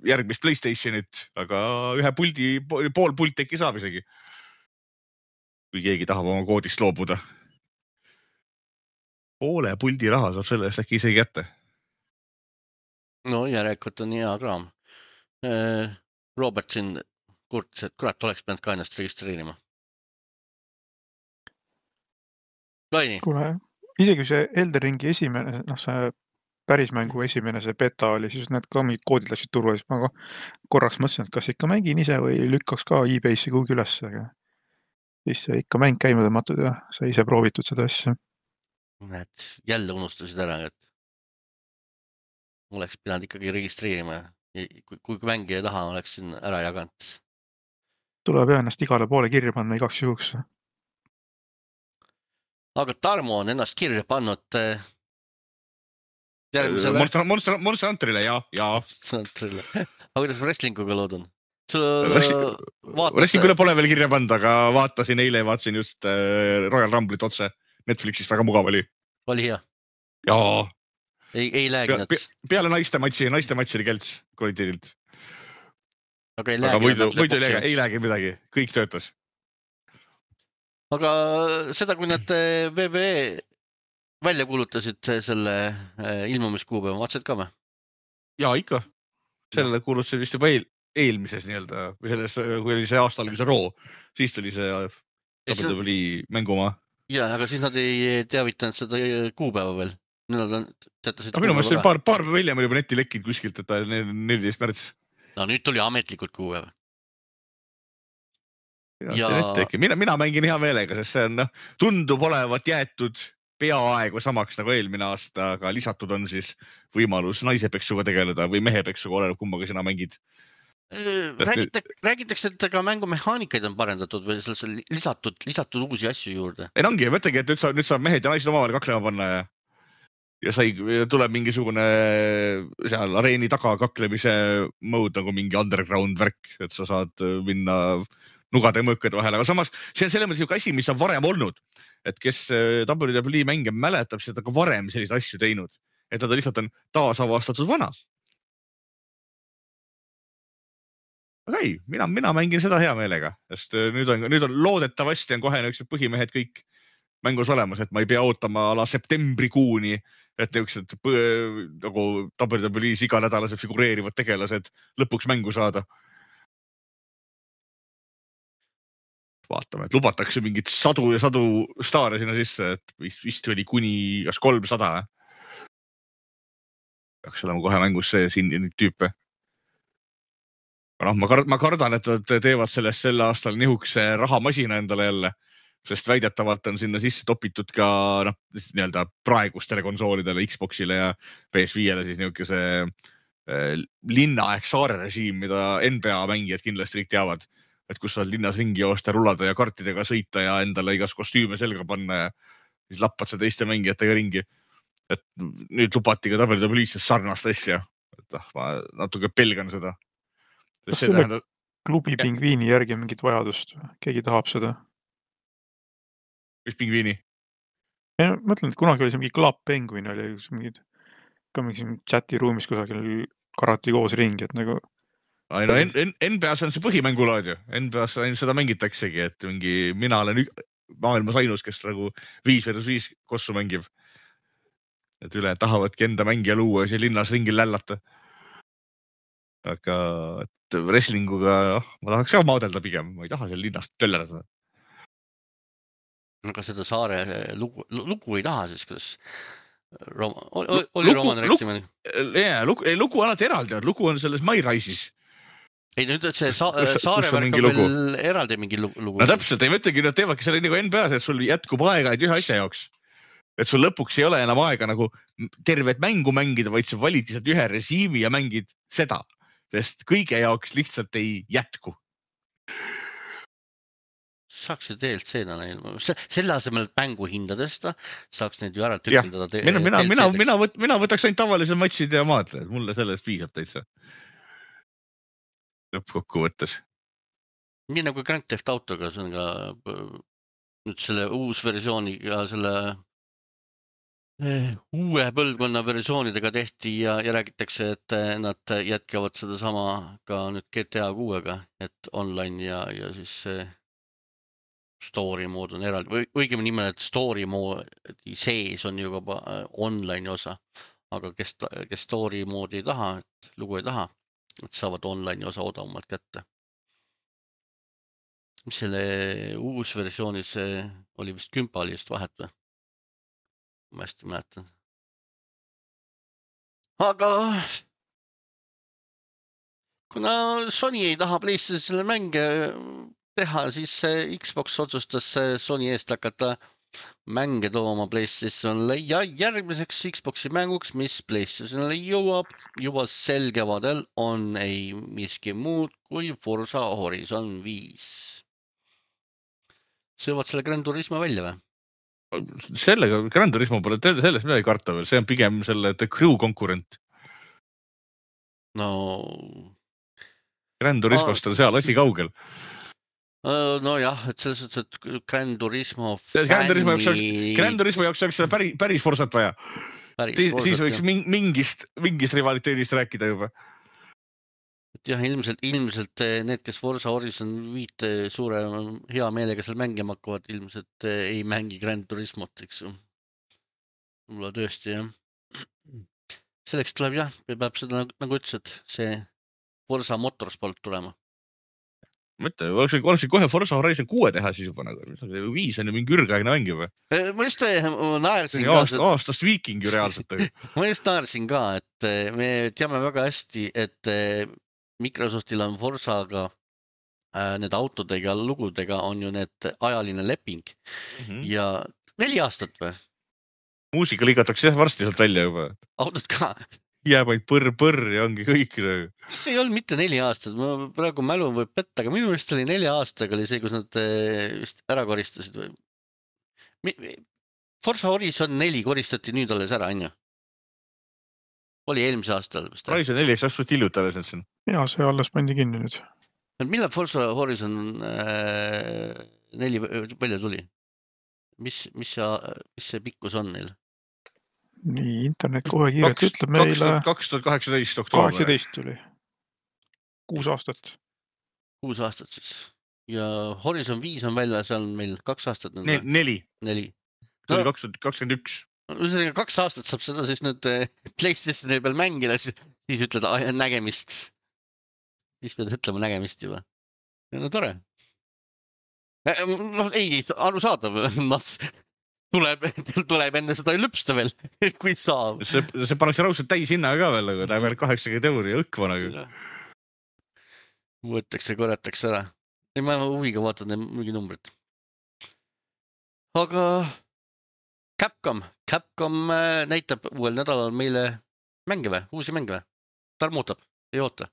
B: järgmist PlayStationit, aga ühe puldi, pool pult äkki saab isegi. Kui keegi tahab oma koodist loobuda. Poole puldi raha saab selle eest äkki isegi kätte.
A: No järelikult on hea kraam. Robert siin kurtis, et kurat oleks pidanud ka ennast registreerima. Laini.
C: Kuule, isegi see Elden Ringi esimene, noh see päris mängu esimene see beta oli, siis need ka mingid koodid läksid turva, siis ma korraks mõtlesin, et kas ikka mängin ise või lükkaks ka e-base'i kuhugi üles, aga siis ikka mäng käima tõmmatud ja sa ise proovitud seda asja.
A: Näed, jälle unustasid ära, et oleks pidanud ikkagi registreerima. Kui, kui mängija taha oleks siin ära jaganud.
C: Tuleb jah ennast igale poole kirja panna igaks juhuks.
A: Aga Tarmo on ennast kirja pannud järgmisele
B: Monster, Monster, Monster Hunterile ja, ja.
A: Monster. Aga kuidas wrestlinguga lood on? Sul
B: vaatad... Wrestlingule pole veel kirja pannud, aga vaatasin eile, vaatasin just äh, Royal Rumble'it otse Netflixist, väga mugav oli.
A: Oli hea?
B: Jaa.
A: Ei, ei läägi
B: nad? Pe, peale naiste matši, naiste matši oli kelts kvaliteedilt.
A: Aga ei
B: läägi?
A: Aga
B: muidu, muidu ei, ei läägi midagi, kõik töötas.
A: Aga seda, kui nad V V E välja kuulutasid selle ilmumiskuupäeva, vaatasid ka või?
B: Jaa, ikka. Sellele kuulutasid vist juba eel, eelmises nii-öelda, või selles, kui oli see aasta oli see roo, siis tuli see W W E mängumaa.
A: Jaa, aga siis nad ei teavitanud seda kuupäeva veel. Nad teatasid
B: aga minu meelest see paar, paar hiljem oli juba neti lekkinud kuskilt, et ta neliteist märts.
A: No nüüd tuli ametlikult kuupäeva.
B: Ja... Mina, mina mängin hea meelega, sest see on, no, tundub olevat jäetud peaaegu samaks nagu eelmine aasta, aga lisatud on siis võimalus naisepeksuga tegeleda või mehepeksuga, oleneb kummaga sina mängid.
A: Räägitakse, räägitakse, et ka mängumehaanikaid on parendatud või lisatud, lisatud uusi asju juurde.
B: Ei ongi, mõtlegi, et nüüd saab, nüüd saab mehed ja naised omavahel kaklema panna ja, ja sai, tuleb mingisugune seal areeni taga kaklemise mode nagu mingi underground värk, et sa saad minna nugade ja mõõkade vahel, aga samas see on selles mõttes ju asi, mis on varem olnud, et kes W W E mänge mäletab, seda ka varem selliseid asju teinud, et nad lihtsalt on taasavastatud vana. Aga ei, mina, mina mängin seda hea meelega, sest nüüd on, nüüd on loodetavasti on kohe niisugused põhimehed kõik mängus olemas, et ma ei pea ootama ala septembrikuuni, et niisugused nagu W W E-s iganädalased figureerivad tegelased lõpuks mängu saada. Vaatame, et lubatakse mingit sadu ja sadu staare sinna sisse, et vist, vist oli kuni kas kolmsada. Peaks olema kohe mängus see siin neid tüüpe. No, ma, kard, ma kardan, et nad teevad sellest sel aastal nihukse rahamasina endale jälle, sest väidetavalt on sinna sisse topitud ka no, nii-öelda praegustele konsoolidele, Xboxile ja P S viiele siis nihukese eh, linna ehk saare režiim, mida N B A mängijad kindlasti kõik teavad. Et kus saad linnas ringi joosta, rullada ja kartidega sõita ja endale igas kostüüme selga panna ja siis lappad sa teiste mängijatega ringi. Et nüüd lubati ka W W E-s sarnast asja. Et ma natuke pelgan seda.
C: Kas selle tähendab... klubi pingviini järgi mingit vajadust? Keegi tahab seda?
B: Mis pingviini?
C: Ja, mõtlen, et kunagi oli see mingi Club Penguin, oli mingid, ka mingi chati ruumis kusagil karati koos ringi, et nagu
B: Ai, no N B A-s on see põhimängulaad ju. N B A-s seda mängitaksegi, et mingi, mina olen maailmas ainus, kes nagu viis versus viis kossu mängib. Et üle tahavadki enda mängija luua ja see linnas ringil lällata. Aga et wrestlinguga, oh, ma tahaks ka maadelda pigem, ma ei taha seal linnast töllerada.
A: Aga seda saare lugu, lugu ei taha siis, kuidas Roma, oli, oli Roman Reximani?
B: Jaa, lugu, lugu on alati eraldi, lugu on selles My Rise'is.
A: Ei, nüüd et see sa kus, saare värk on veel eraldi mingi lugu.
B: No täpselt, ei mõtlegi, nad teevadki selle nagu N B A-s, et sul jätkub aega et ühe asja jaoks. Et sul lõpuks ei ole enam aega nagu tervet mängu mängida, vaid sa valid lihtsalt ühe režiimi ja mängid seda. Sest kõige jaoks lihtsalt ei jätku.
A: Saaks see D L C-na ilma. Selle asemel, et mängu hinda tõsta, saaks neid ju ära tükildada D L C-deks.
B: Mina, mina, mina, võt, mina võtaks ainult tavalised matšid ja maadled. Mulle sellest viisab täitsa. Lõppkokku võttes.
A: Nii nagu Grand Theft Autoga, see on ka nüüd selle uus versiooniga, selle uue põlvkonna versioonidega tehti ja, ja räägitakse, et nad jätkavad seda sama ka nüüd G T A kuuega, et online ja, ja siis story mood on eraldi, või õigemini nimel, et story moodi sees on ju ka online osa, aga kes, kes story moodi ei taha, et lugu ei taha, et saavad online osa odavamalt kätte. Mis selle uus versioonis oli vist kümpalist vahet või? Ma hästi mäletan. Aga kuna Sony ei taha PlayStationile mänge teha, siis Xbox otsustas Sony eest hakata mänge tooma PlayStationile ja järgmiseks Xboxi mänguks, mis PlayStationile jõuab juba sel kevadel, on ei miski muud kui Forza Horizon viis. Söövad selle Gran Turismo välja või?
B: sellega Gran Turismo pole sellest midagi karta veel, see on pigem selle The Crew konkurent.
A: No,
B: Gran Turismost on seal asi kaugel.
A: no jah, et selles suhtes, et Gran Turismo
B: Gran Turismo jaoks,
A: fänni
B: Gran Turismo jaoks oleks seda päris, päris forsat vaja.
A: päris
B: Siis, siis
A: forsat,
B: võiks
A: jah.
B: ming- mingist, mingist rivaliteedist rääkida juba.
A: Et jah, ilmselt, ilmselt eh, need, kes Forza Horizon viite suure hea meelega seal mängima hakkavad, ilmselt eh, ei mängi Gran Turismot, eks ju. Mulla tõesti, jah. Selleks tuleb jah, peab seda nagu, nagu ütlesid, see Forza Motorsport tulema.
B: Mõtle, oleks, oleks kohe Forza Horizon kuue teha siis juba nagu. Viis on ju mingi ürgaegne mäng juba.
A: Eh, Ma just eh, ma naersin ka,
B: Aast, aastast viiking ju reaalselt.
A: ma just naersin ka, et eh, me teame väga hästi, et eh, Microsoftil on Forzaga äh, need autodega, lugudega on ju need ajaline leping
B: Mhm.
A: ja neli aastat või?
B: Muusika ligatakse jah varsti sealt välja juba.
A: Autod ka.
B: Jääb ainult põrr-põrr ja ongi kõik.
A: See ei olnud mitte neli aastat, ma praegu mälu võib petta, aga minu meelest oli nelja aastaga oli see, kus nad eh, vist ära koristasid või? Mi- mi- Forza Horizon neli koristati nüüd alles ära, on ju? Oli eelmise aastal vist.
B: Horizon neli, eks asust hiljuti alles nüüd siin.
C: ja see alles pandi kinni nüüd.
A: Millal Forza Horizon äh, neli välja tuli? Mis, mis, see, mis see pikkus on neil?
C: nii, internet kohe kiirelt ütleb meile
B: kaks tuhat kaheksateist oktoober.
C: kaheksateist tuli. Kuus aastat.
A: Kuus aastat siis. Ja Horizon viis on välja, seal on meil kaks aastat.
B: Ne, neli.
A: Neli.
B: See oli kaks tuhat kakskümmend üks.
A: No, kaks aastat saab seda siis nüüd PlayStationi peal mängida, siis, siis ütled nägemist. Siis pead ütlema nägemist juba. No tore. No ei, arusaadav. Tuleb, tuleb enne seda lüpsta veel, kui saab.
B: See, see pannakse raudselt täis hinnaga ka veel, aga ta veel kaheksakümmend euri õkva nagu.
A: Võetakse, korjatakse ära. Ei, ma huviga vaatan mingi numbrit. Aga Capcom. Capcom näitab uuel nädalal meile mänge või? Uusi mänge või? Tarm ootab, ei oota.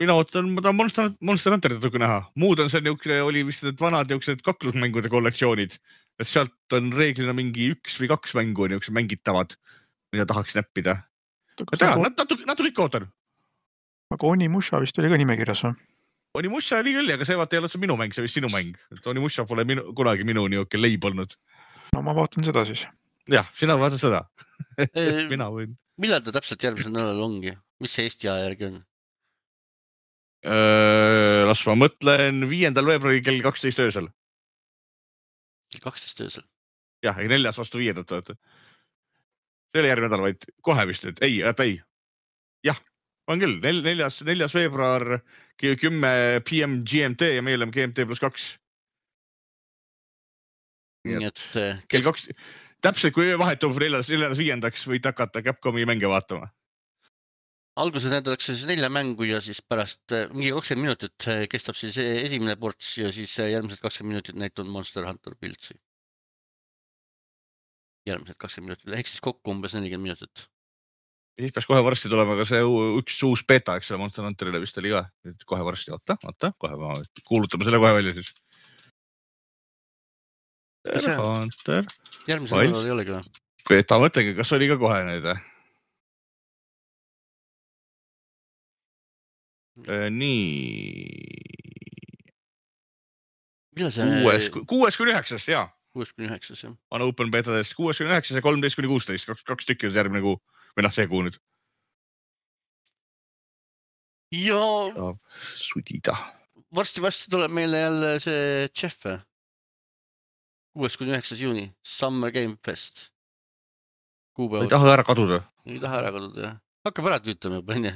B: Mina ootan, ma tahan Monster, Monster Hunterit natuke näha. Muud on see niisugune, oli vist need vanad niisugused kaklusmängude kollektsioonid. Et sealt on reeglina mingi üks või kaks mängu niisugused mängitavad, mida tahaks näppida. Ma tean, natuke, natuke ikka ootan.
C: Aga Onimusha vist oli ka nimekirjas või?
B: Onimusha oli küll, aga see vaata ei ole see minu mäng, see vist sinu mäng. Onimusha pole minu, kunagi minu niisugune leib olnud.
C: No ma vaatan seda siis.
B: Jah, sina vaatan seda. Mina võin.
A: Millal ta täpselt järgmisel nädalal ongi? Mis see Eesti aja järgi on?
B: Las ma mõtlen viiendal veebruari kell kaksteist öösel.
A: kaksteist öösel?
B: Jah, ei neljas vastu viiendat. See oli järgmine nädal, vaid kohe vist nüüd. Ei, et ei. Jah, on küll. Neljas, neljas veebruar, kümme P M G M T ja meil on G M T plus kaks.
A: Nii et...
B: Kell kaks... Täpselt, kui vahetub neljas, neljas viiendaks võid hakata Capcomi mänge vaatama.
A: Alguses näidatakse siis nelja mängu ja siis pärast mingi kakskümmend minutit kestab siis esimene ports ja siis järgmised kakskümmend minutit näitab Monster Hunter Piltsi. Järgmised kakskümmend minutit, ehk siis kokku umbes nelikümmend minutit.
B: Siis peaks kohe varsti tulema ka see üks uus beta, eks selle Monster Hunterile vist oli ka. Kohe varsti, oota, oota, kohe ma kuulutame selle kohe välja siis. Hunter.
A: Järgmisel nädalal ei olegi või?
B: Beta mõtlegi, kas oli ka kohe need? Nii. Kuues, kuues kuni üheksas, jaa.
A: Kuues kuni üheksas, jah.
B: On open betadest kuues kuni üheksas ja kolmteist kuni kuusteist. Kaks, kaks tükki on järgmine kuu. Või noh, see kuu nüüd.
A: Ja...
B: Sudida.
A: Varsti-varsti tuleb meile jälle see Jeff. Kuues kuni üheksas juuni. Summer Game Fest. Kuupäevad.
B: Ei taha ära kaduda.
A: Ei taha ära kaduda, jah. Hakkab ära tüütama juba, enne.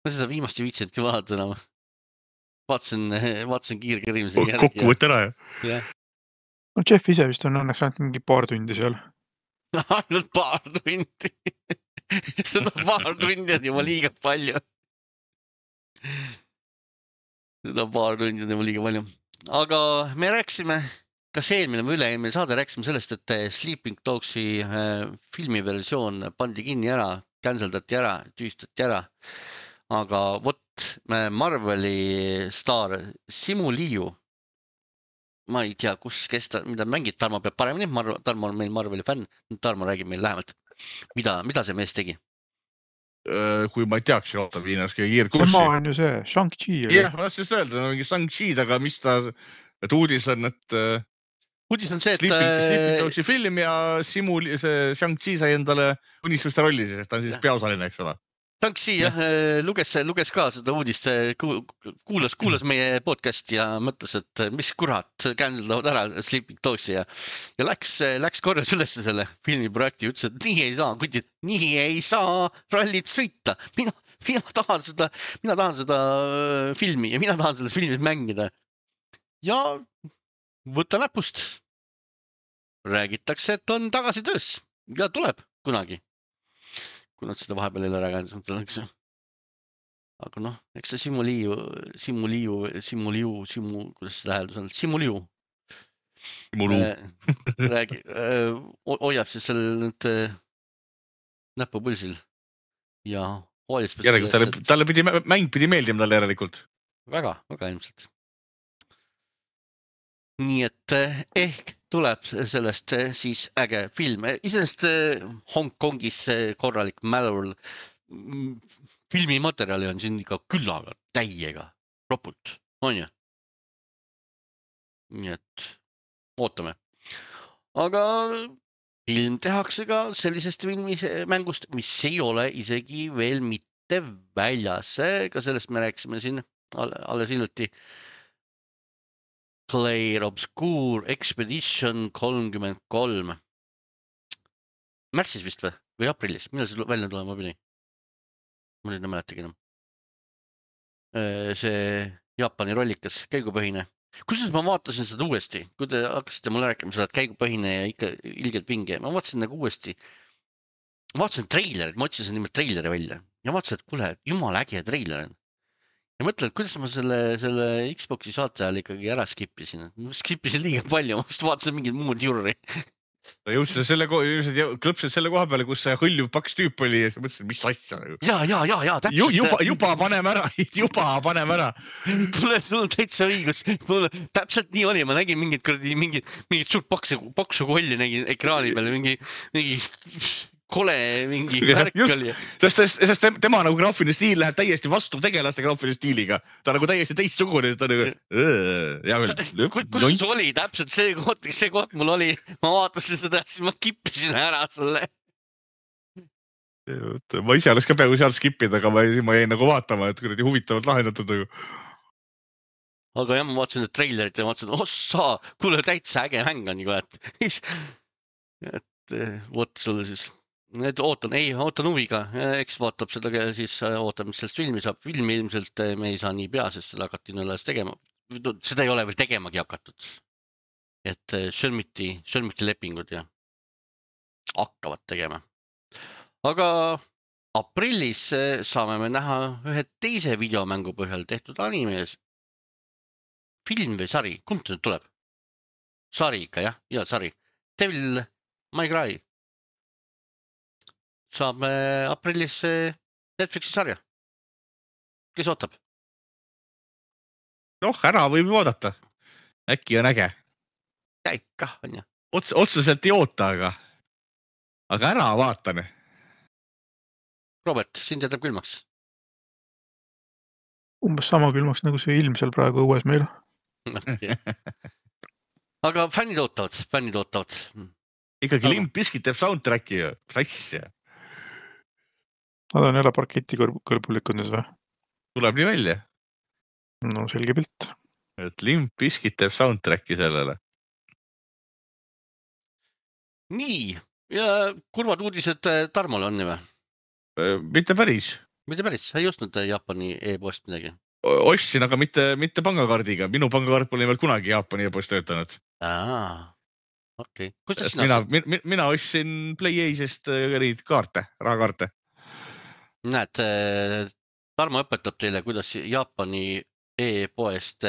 A: Ma seda viimast ju viitsidki vaadata enam. Vaatasin, vaatasin kiirkerimise järgi.
B: Kokku võtta ära,
A: jah?
C: No Jeff ise vist on õnneks ainult mingi paar tundi seal.
A: Ainult paar tundi. Seda paar tundi on juba liiga palju. Seda paar tundi on juba liiga palju. Aga me rääksime, kas eelmine või üle-eelmine saade rääksime sellest, et Sleeping Dogsi filmiversioon pandi kinni ära, canceldati ära, tüüstati ära. Aga vot Marveli staar Simu Liu ma ei tea, kus, kes ta, mida mängib, Tarmo peab paremini, Mar- Tarmo on meil Marveli fänn, Tarmo räägib meil lähemalt, mida, mida see mees tegi.
B: kui ma ei teaks, oota, viinas kõige kiirt
C: tema
B: kurssi.
C: on ju see, Shang-Chi oli.
B: jah, ma tahtsin just öelda, mingi Shang-Chi, aga mis ta, et uudis on, et
A: uudis on see, et
B: Sleeping, Sleeping Dogsi film ja Simu, see Shang-Chi sai endale unistuste rolli, et ta on siis peaosaline, eks ole.
A: Shang-Chi jah, luges, luges ka seda uudist, kuulas, kuulas meie podcasti ja mõtles, et mis kurat, cancellavad ära Sleeping Dogsi ja, ja läks, läks korjas üles selle filmiprojekti, ütles, et nii ei saa, kutid, nii ei saa rallit sõita. Mina, mina tahan seda, mina tahan seda filmi ja mina tahan selles filmis mängida. Ja võta näpust. Räägitakse, et on tagasi töös ja tuleb kunagi. Kui nad seda vahepeal ei ole rääginud. Aga noh, eks see Simu Liiu, Simu Liiu, Simu Liiu, Simu, kuidas seda hääldus on? Simu Liiu.
B: Simu Liiu.
A: Räägi, hoiab siis seal nüüd näpu pulsil ja hoolitseb.
B: Järelikult, talle, talle pidi, mäng pidi meeldima talle järelikult.
A: Väga, väga ilmselt. Nii et ehk tuleb sellest siis äge film. Iseenesest Hongkongis korralik mälul filmimaterjali on siin ikka küllaga, täiega, ropult, on ju? Nii et ootame. Aga film tehakse ka sellisest filmis mängust, mis ei ole isegi veel mitte väljas. Ka sellest me rääkisime siin alles hiljuti. Clair Obscure Expedition kolmkümmend kolm. Märtsis vist või? Või aprillis? Millal see välja tulema pidi? Ma nüüd ei mäletagi enam. See Jaapani rollikas, käigupõhine. Kusjuures ma vaatasin seda uuesti, kui te hakkasite mulle rääkima seda, et käigupõhine ja ikka ilgelt pinge. Ma vaatasin nagu uuesti. Ma vaatasin treilerit, ma otsisin nimelt treileri välja. Ja vaatasin, et kuule, jumal äge treiler on. Ja mõtlen, et kuidas ma selle, selle Xboxi saate ajal ikkagi ära skippisin. Ma skippisin liiga palju, ma just vaatasin mingid muud jurri.
B: Jõudsid selle, klõpsid selle koha peale, kus see hõljuv paks tüüp oli ja mõtlesin, mis asja.
A: Ja, ja, ja, ja, täpselt.
B: Juba, juba panem ära, juba panem ära.
A: Tule, sul on täitsa õigus. Täpselt nii oli, ma nägin mingid, mingid, mingid suurt paksu, paksu kolli nägin ekraani peale, mingi, mingi kole mingi värk oli.
B: Sest, sest tema nagu graafiline stiil läheb täiesti vastu tegelaste graafiline stiiliga. Ta nagu täiesti teistsugune. Ta nagu...
A: Kus see oli täpselt see koht, see koht mul oli. Ma vaatasin seda, siis ma kippisin ära selle.
B: Ma ise oleks ka peaaegu seal skipida, aga ma, ma jäin nagu vaatama, et kuradi huvitavalt lahendatud.
A: Aga jah, ma vaatasin seda trailerit ja vaatasin, ossa, kuule täitsa äge mäng on nagu, et, et võt sulle siis. Need ootan, ei, ootan huviga, eks vaatab seda siis, ootab, mis sellest filmi saab. Filmi ilmselt me ei saa nii pea, sest seda hakati nõles tegema. Seda ei ole veel tegemagi hakatud. Et sõlmiti, sõlmiti lepingud ja hakkavad tegema. Aga aprillis saame me näha ühe teise videomängu põhjal tehtud animes. Film või sari, kumb see nüüd tuleb? Sari ikka, jah, ja sari. Devil May Cry. Saab aprillis Netflixi sarja. Kes ootab?
B: Noh, ära võib vaadata. Äkki on äge.
A: Käika, on ju.
B: Ots, otseselt ei oota, aga, aga ära vaatane.
A: Robert, sind jätab külmaks?
C: Umbes sama külmaks, nagu see ilm seal praegu õues meil.
A: Okay. Aga fännid ootavad, fännid ootavad.
B: Ikkagi aga... Limp Bizkit teeb soundtracki ja frass ja.
C: Nad on jälle parketi kõrbulikud nüüd või?
B: Tuleb nii välja.
C: No selge pilt.
B: Et Limp Bizkit teeb soundtracki sellele.
A: Nii, ja kurvad uudised Tarmole on nii või?
B: Mitte päris.
A: Mitte päris, sa ei ostnud Jaapani e-post midagi?
B: Ostsin, aga mitte, mitte pangakaardiga. Minu pangakaart pole nimelt kunagi Jaapani e-post töötanud.
A: Aa, okei. Okay. Kuidas sina
B: mina, mina, mina ostsin PlayAce'ist kaarte, rahakaarte.
A: Näed, Tarmo õpetab teile, kuidas Jaapani e-poest,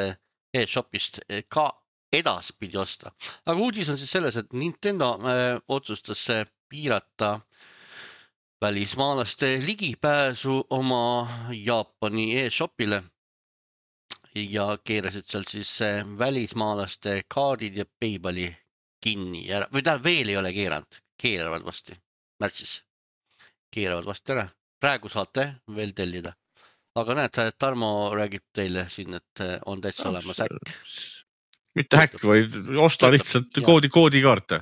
A: e-shopist ka edaspidi osta. Aga uudis on siis selles, et Nintendo otsustas piirata välismaalaste ligipääsu oma Jaapani e-shopile ja keerasid seal siis äh, välismaalaste kaardid ja Paybali kinni ära. Või tähendab veel ei ole keeranud, keeravad vasti märtsis. Keeravad vasti ära. Praegu saate veel tellida. Aga näed, Tarmo räägib teile siin, et on täitsa olemas äkk.
B: Mitte häkk, vaid osta lihtsalt
A: Ja.
B: koodi, koodikaarte.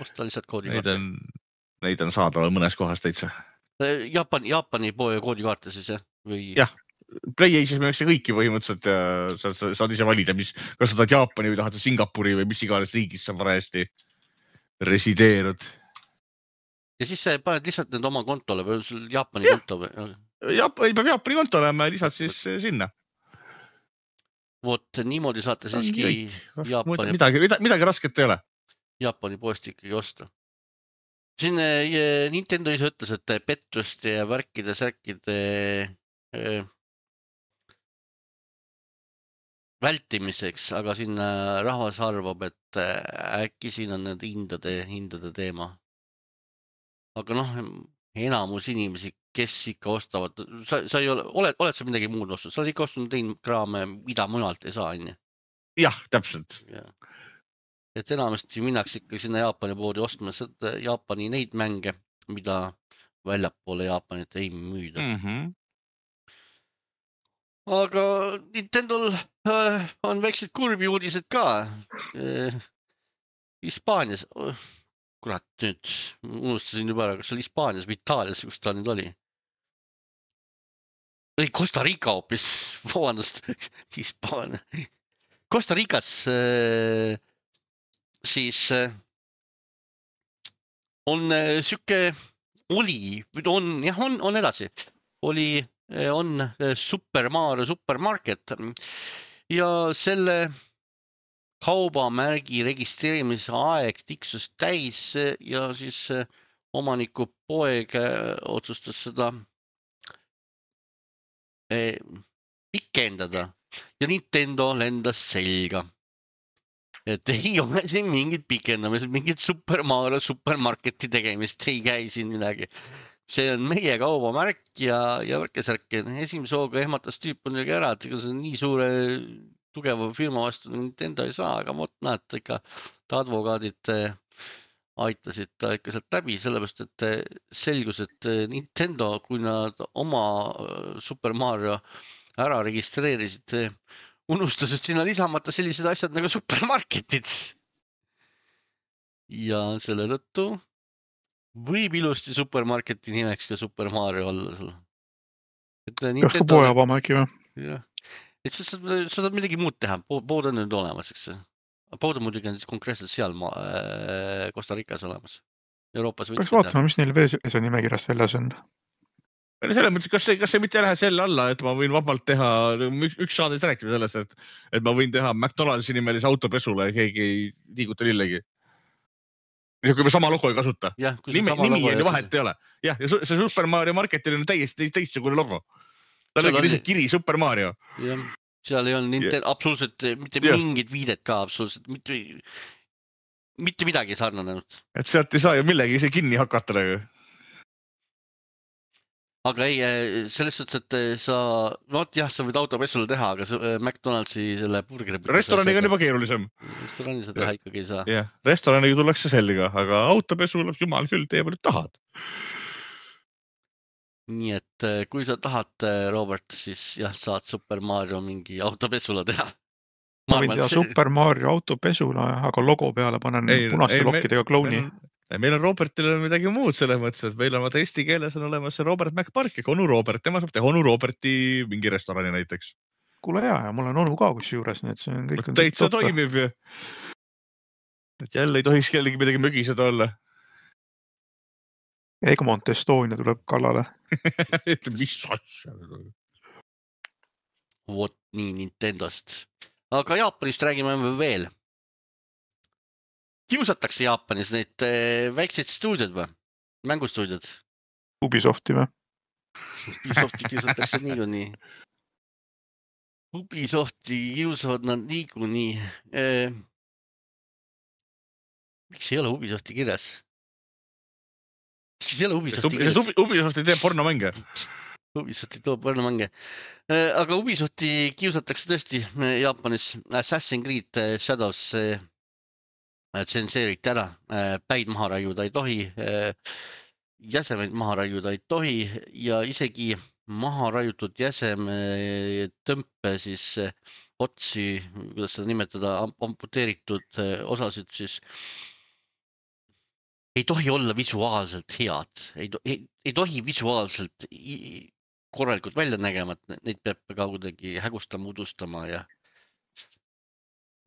A: Osta lihtsalt
B: Neid
A: koodikaarte.
B: on, neid on saadaval mõnes kohas täitsa.
A: Jaapani, Jaapani poe koodikaarte siis, jah? Või...
B: Jah, PlayAge'is müüakse kõiki põhimõtteliselt ja sa, sa, saad ise valida, mis, kas sa tahad Jaapani või tahad Singapuri või mis iganes riigis sa parajasti resideerud.
A: Ja siis sa paned lihtsalt need oma kontole või on sul Jaapani ja. konto või?
B: Jaap, ei peab Jaapani konto olema ja lisad siis sinna.
A: Vot niimoodi saate siiski Jaapani...
B: Midagi, midagi rasket ei ole.
A: Jaapani poest ikkagi osta. Siin Nintendo ise ütles, et pettuste ja värkide, särkide äh, vältimiseks, aga siin rahvas arvab, et äkki siin on need hindade, hindade teema. Aga noh, enamus inimesi, kes ikka ostavad, sa, sa ei ole, oled, oled sa midagi muud ostnud? Sa oled ikka ostnud tein kraame, mida mujalt ei saa, nii?
B: Jah, täpselt.
A: Ja. Et enamasti minnakse ikka sinna Jaapani poodi ostma Jaapani neid mänge, mida väljapoole Jaapanit ei müüda.
B: Mm -hmm.
A: Aga Nintendol äh, on väiksed kurbi uudised ka. Äh, Hispaanias... Oh. Kurat, nüüd unustasin juba ära, kas oli Hispaanias või Itaalias, kus ta nüüd oli. Ei, Costa Rica hoopis, vabandust, Hispaania. Costa Ricas äh, siis äh, on äh, süke, oli, on, jah, on, on edasi, oli, äh, on äh, Super Mario Supermarket ja selle kaubamärgi registreerimise aeg tiksus täis ja siis omaniku poeg otsustas seda pikendada ja Nintendo lendas selga. Et ei ole siin mingid pikendamised, mingid Super Mario Supermarketi tegemist, ei käi siin midagi. See on meie kaubamärk ja, ja värkesärk. Esimese hooga ehmatas tüüp on jälle ära, et ega see on nii suure tugeva firma vastu Nintendo ei saa, aga vot näed, ikka advokaadid aitasid ta ikka sealt läbi, sellepärast, et selgus, et Nintendo, kui nad oma Super Mario ära registreerisid, unustasid sinna lisamata sellised asjad nagu supermarketid. Ja selle tõttu võib ilusti supermarketi nimeks ka Super Mario olla.
C: Kas ka poe avama äkki või?
A: Jah. Et sa saad midagi muud teha, pood on nüüd olemas, eks see. Pood on muidugi on siis konkreetselt seal maa, äh, Costa Ricas olemas. Euroopas
C: võiks vaatama, mis neil veese nimekirjast väljas on.
B: Selles mõttes, kas see, kas see mitte lähe selle alla, et ma võin vabalt teha, üks saadet rääkida sellest, et, et ma võin teha McDonaldsi nimelise autopesule ja keegi ei liiguta lillegi. Kui me sama logo ei kasuta.
A: Ja,
B: nimi nimi on vahet ei ole. Jah, ja see Super Mario Marketil on täiesti teistsugune logo. Ta on lihtsalt kiri Super Mario.
A: Jah, seal ei olnud Nintendo, absoluutselt mitte ja. mingit viidet ka, absoluutselt mitte, mitte midagi sarnanenud.
B: Et sealt ei saa ju millegi ise kinni hakata.
A: Aga ei, selles suhtes, et sa, no jah, sa võid autopessule teha, aga see McDonaldsi selle burgeri...
B: Restoraniga on juba keerulisem.
A: Restorani sa teha ikkagi ei saa.
B: Jah, restoraniga tullakse sellega, aga autopesul jumal küll tee palju tahad.
A: Nii et kui sa tahad, Robert, siis jah, saad Super Mario mingi autopesula teha.
C: Ma võin teha Super Mario autopesula, aga logo peale panen ei, punaste ei, lokkidega klouni.
B: Meil, meil on Robertil on midagi muud selles mõttes, et meil on vaata eesti keeles on olemas see Robert McPark ja onu Robert. Tema saab teha onu Roberti mingi restorani näiteks.
C: Kuule hea, ja mul on onu ka kus juures, nii et see on kõik...
B: Täitsa toimib ju. Et jälle ei tohiks kellegi midagi mögiseda olla.
C: Egmont Estonia tuleb kallale.
B: Mis asja?
A: Vot nii Nintendost. Aga Jaapanist räägime veel. Kiusatakse Jaapanis neid väikseid stuudiod või? Mängustuudiod?
C: Ubisofti või?
A: Ubisofti kiusatakse niikuinii. Ubisofti kiusavad nad niikuinii. Eh, miks ei ole Ubisofti kirjas? Miks ei ole Ubisofti kirjas?
B: Ubisofti teeb pornomänge.
A: Ubisofti toob palju mänge. Aga Ubisofti kiusatakse tõesti Jaapanis. Assassin's Creed Shadows tsenseeriti ära. Päid maha raiuda ei tohi. Jäsemeid maha raiuda ei tohi ja isegi maha raiutud jäseme tõmpe siis otsi, kuidas seda nimetada, amputeeritud osasid siis ei tohi olla visuaalselt head. Ei, to ei, ei tohi visuaalselt korralikult välja nägema, et neid peab ka kuidagi hägustama, udustama ja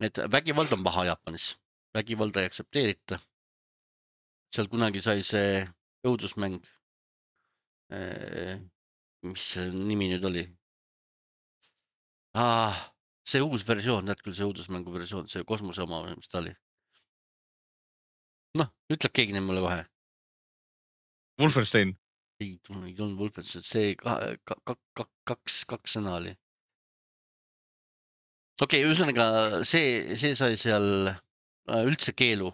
A: et vägivald on paha Jaapanis. Vägivalda ei aktsepteerita. Seal kunagi sai see õudusmäng, mis nimi nüüd oli? Ah, see uus versioon, näed küll see õudusmängu versioon, see kosmose oma, mis ta oli? Noh, ütleb keegi neid mulle kohe.
B: Wolfenstein.
A: Ei, ei tulnud Wolfenstein, see kaks, kaks sõna oli. Okei, ühesõnaga see, see sai seal üldse keelu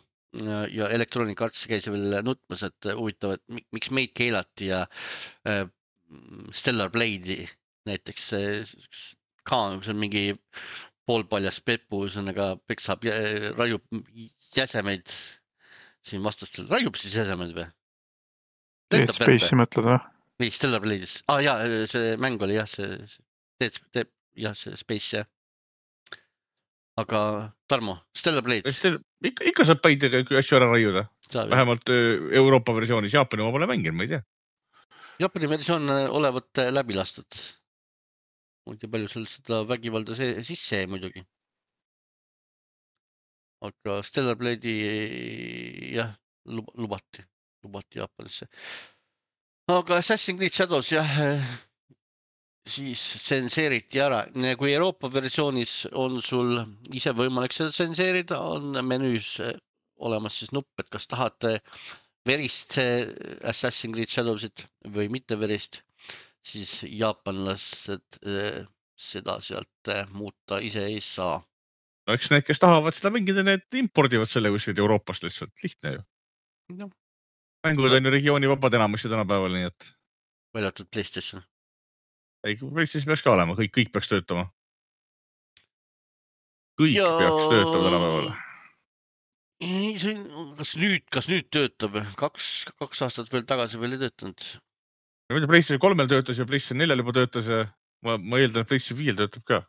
A: ja Electronic Arts käis veel nutmas, et huvitav, et miks meid keelati ja Stellar Blade'i näiteks ka see on mingi poolpaljas peppu, ühesõnaga peksab, raiub jäsemeid siin vastastel. Raiub siis jäsemed või?
C: Dead Space'i mõtled või?
A: Või Stellar Blade'is. Ah jaa, see mäng oli jah, see Dead, Dead, jah, see Space jah. Aga Tarmo, Stellar Blades.
B: Ikka, ikka saab päidega asju ära raiuda. Vähemalt Euroopa versioonis. Jaapani oma pole mängin, ma ei tea.
A: Jaapani versioon olevat läbi lastud. Ma ei tea palju sellest seda vägivalda sisse muidugi. Aga Stellar Blade'i jah, lubati. Lubati Jaapanisse. Aga Assassin's Creed Shadows jah, siis tsenseeriti ära. Kui Euroopa versioonis on sul ise võimalik seda tsenseerida, on menüüs olemas siis nupp, et kas tahate verist Assassin's Creed Shadowsit või mitte verist, siis jaapanlased seda sealt muuta ise ei saa.
B: No eks need, kes tahavad seda mängida, need impordivad selle kuskilt Euroopast lihtsalt. Lihtne ju.
A: No.
B: Mängud on ju regiooni vabad enamusi tänapäeval, nii et...
A: Väljatud PlayStation.
B: Ei, PlayStation peaks ka olema, kõik, kõik peaks töötama. Kõik ja... peaks töötama tänapäeval.
A: Ei, see, kas nüüd, kas nüüd töötab? Kaks, kaks aastat veel tagasi veel ei töötanud.
B: PlayStation kolmel töötas ja PlayStation neljal juba töötas ja ma, ma eeldan, et PlayStation viiel töötab ka.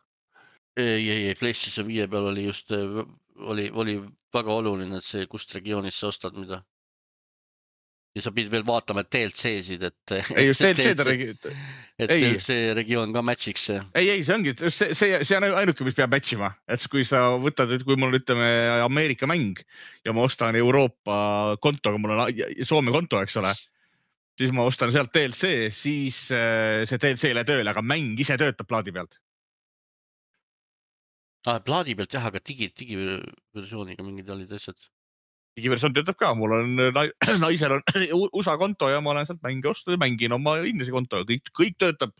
A: Ei, ei, ei, PlayStation viie peal oli just, oli, oli väga oluline, et see kust regioonis sa ostad mida. Ja sa pidid veel vaatama D L C-sid, et,
B: ei,
A: et, see,
B: D L C,
A: D L C, et D L C regioon ka matchiks.
B: Ei, ei, see ongi, see, see, see on ainuke, mis peab matchima. Et kui sa võtad, kui mul ütleme Ameerika mäng ja ma ostan Euroopa kontoga, mul on Soome konto, eks ole, siis ma ostan sealt D L C, siis see D L C ei lähe tööle, aga mäng ise töötab plaadi pealt.
A: Ah, plaadi pealt jah, aga digi, digiversiooniga mingid olid asjad.
B: Digiversioon töötab ka, mul on, naisel on U S A konto ja ma olen sealt mänge osta ja mängin oma Inglise konto, kõik, kõik töötab.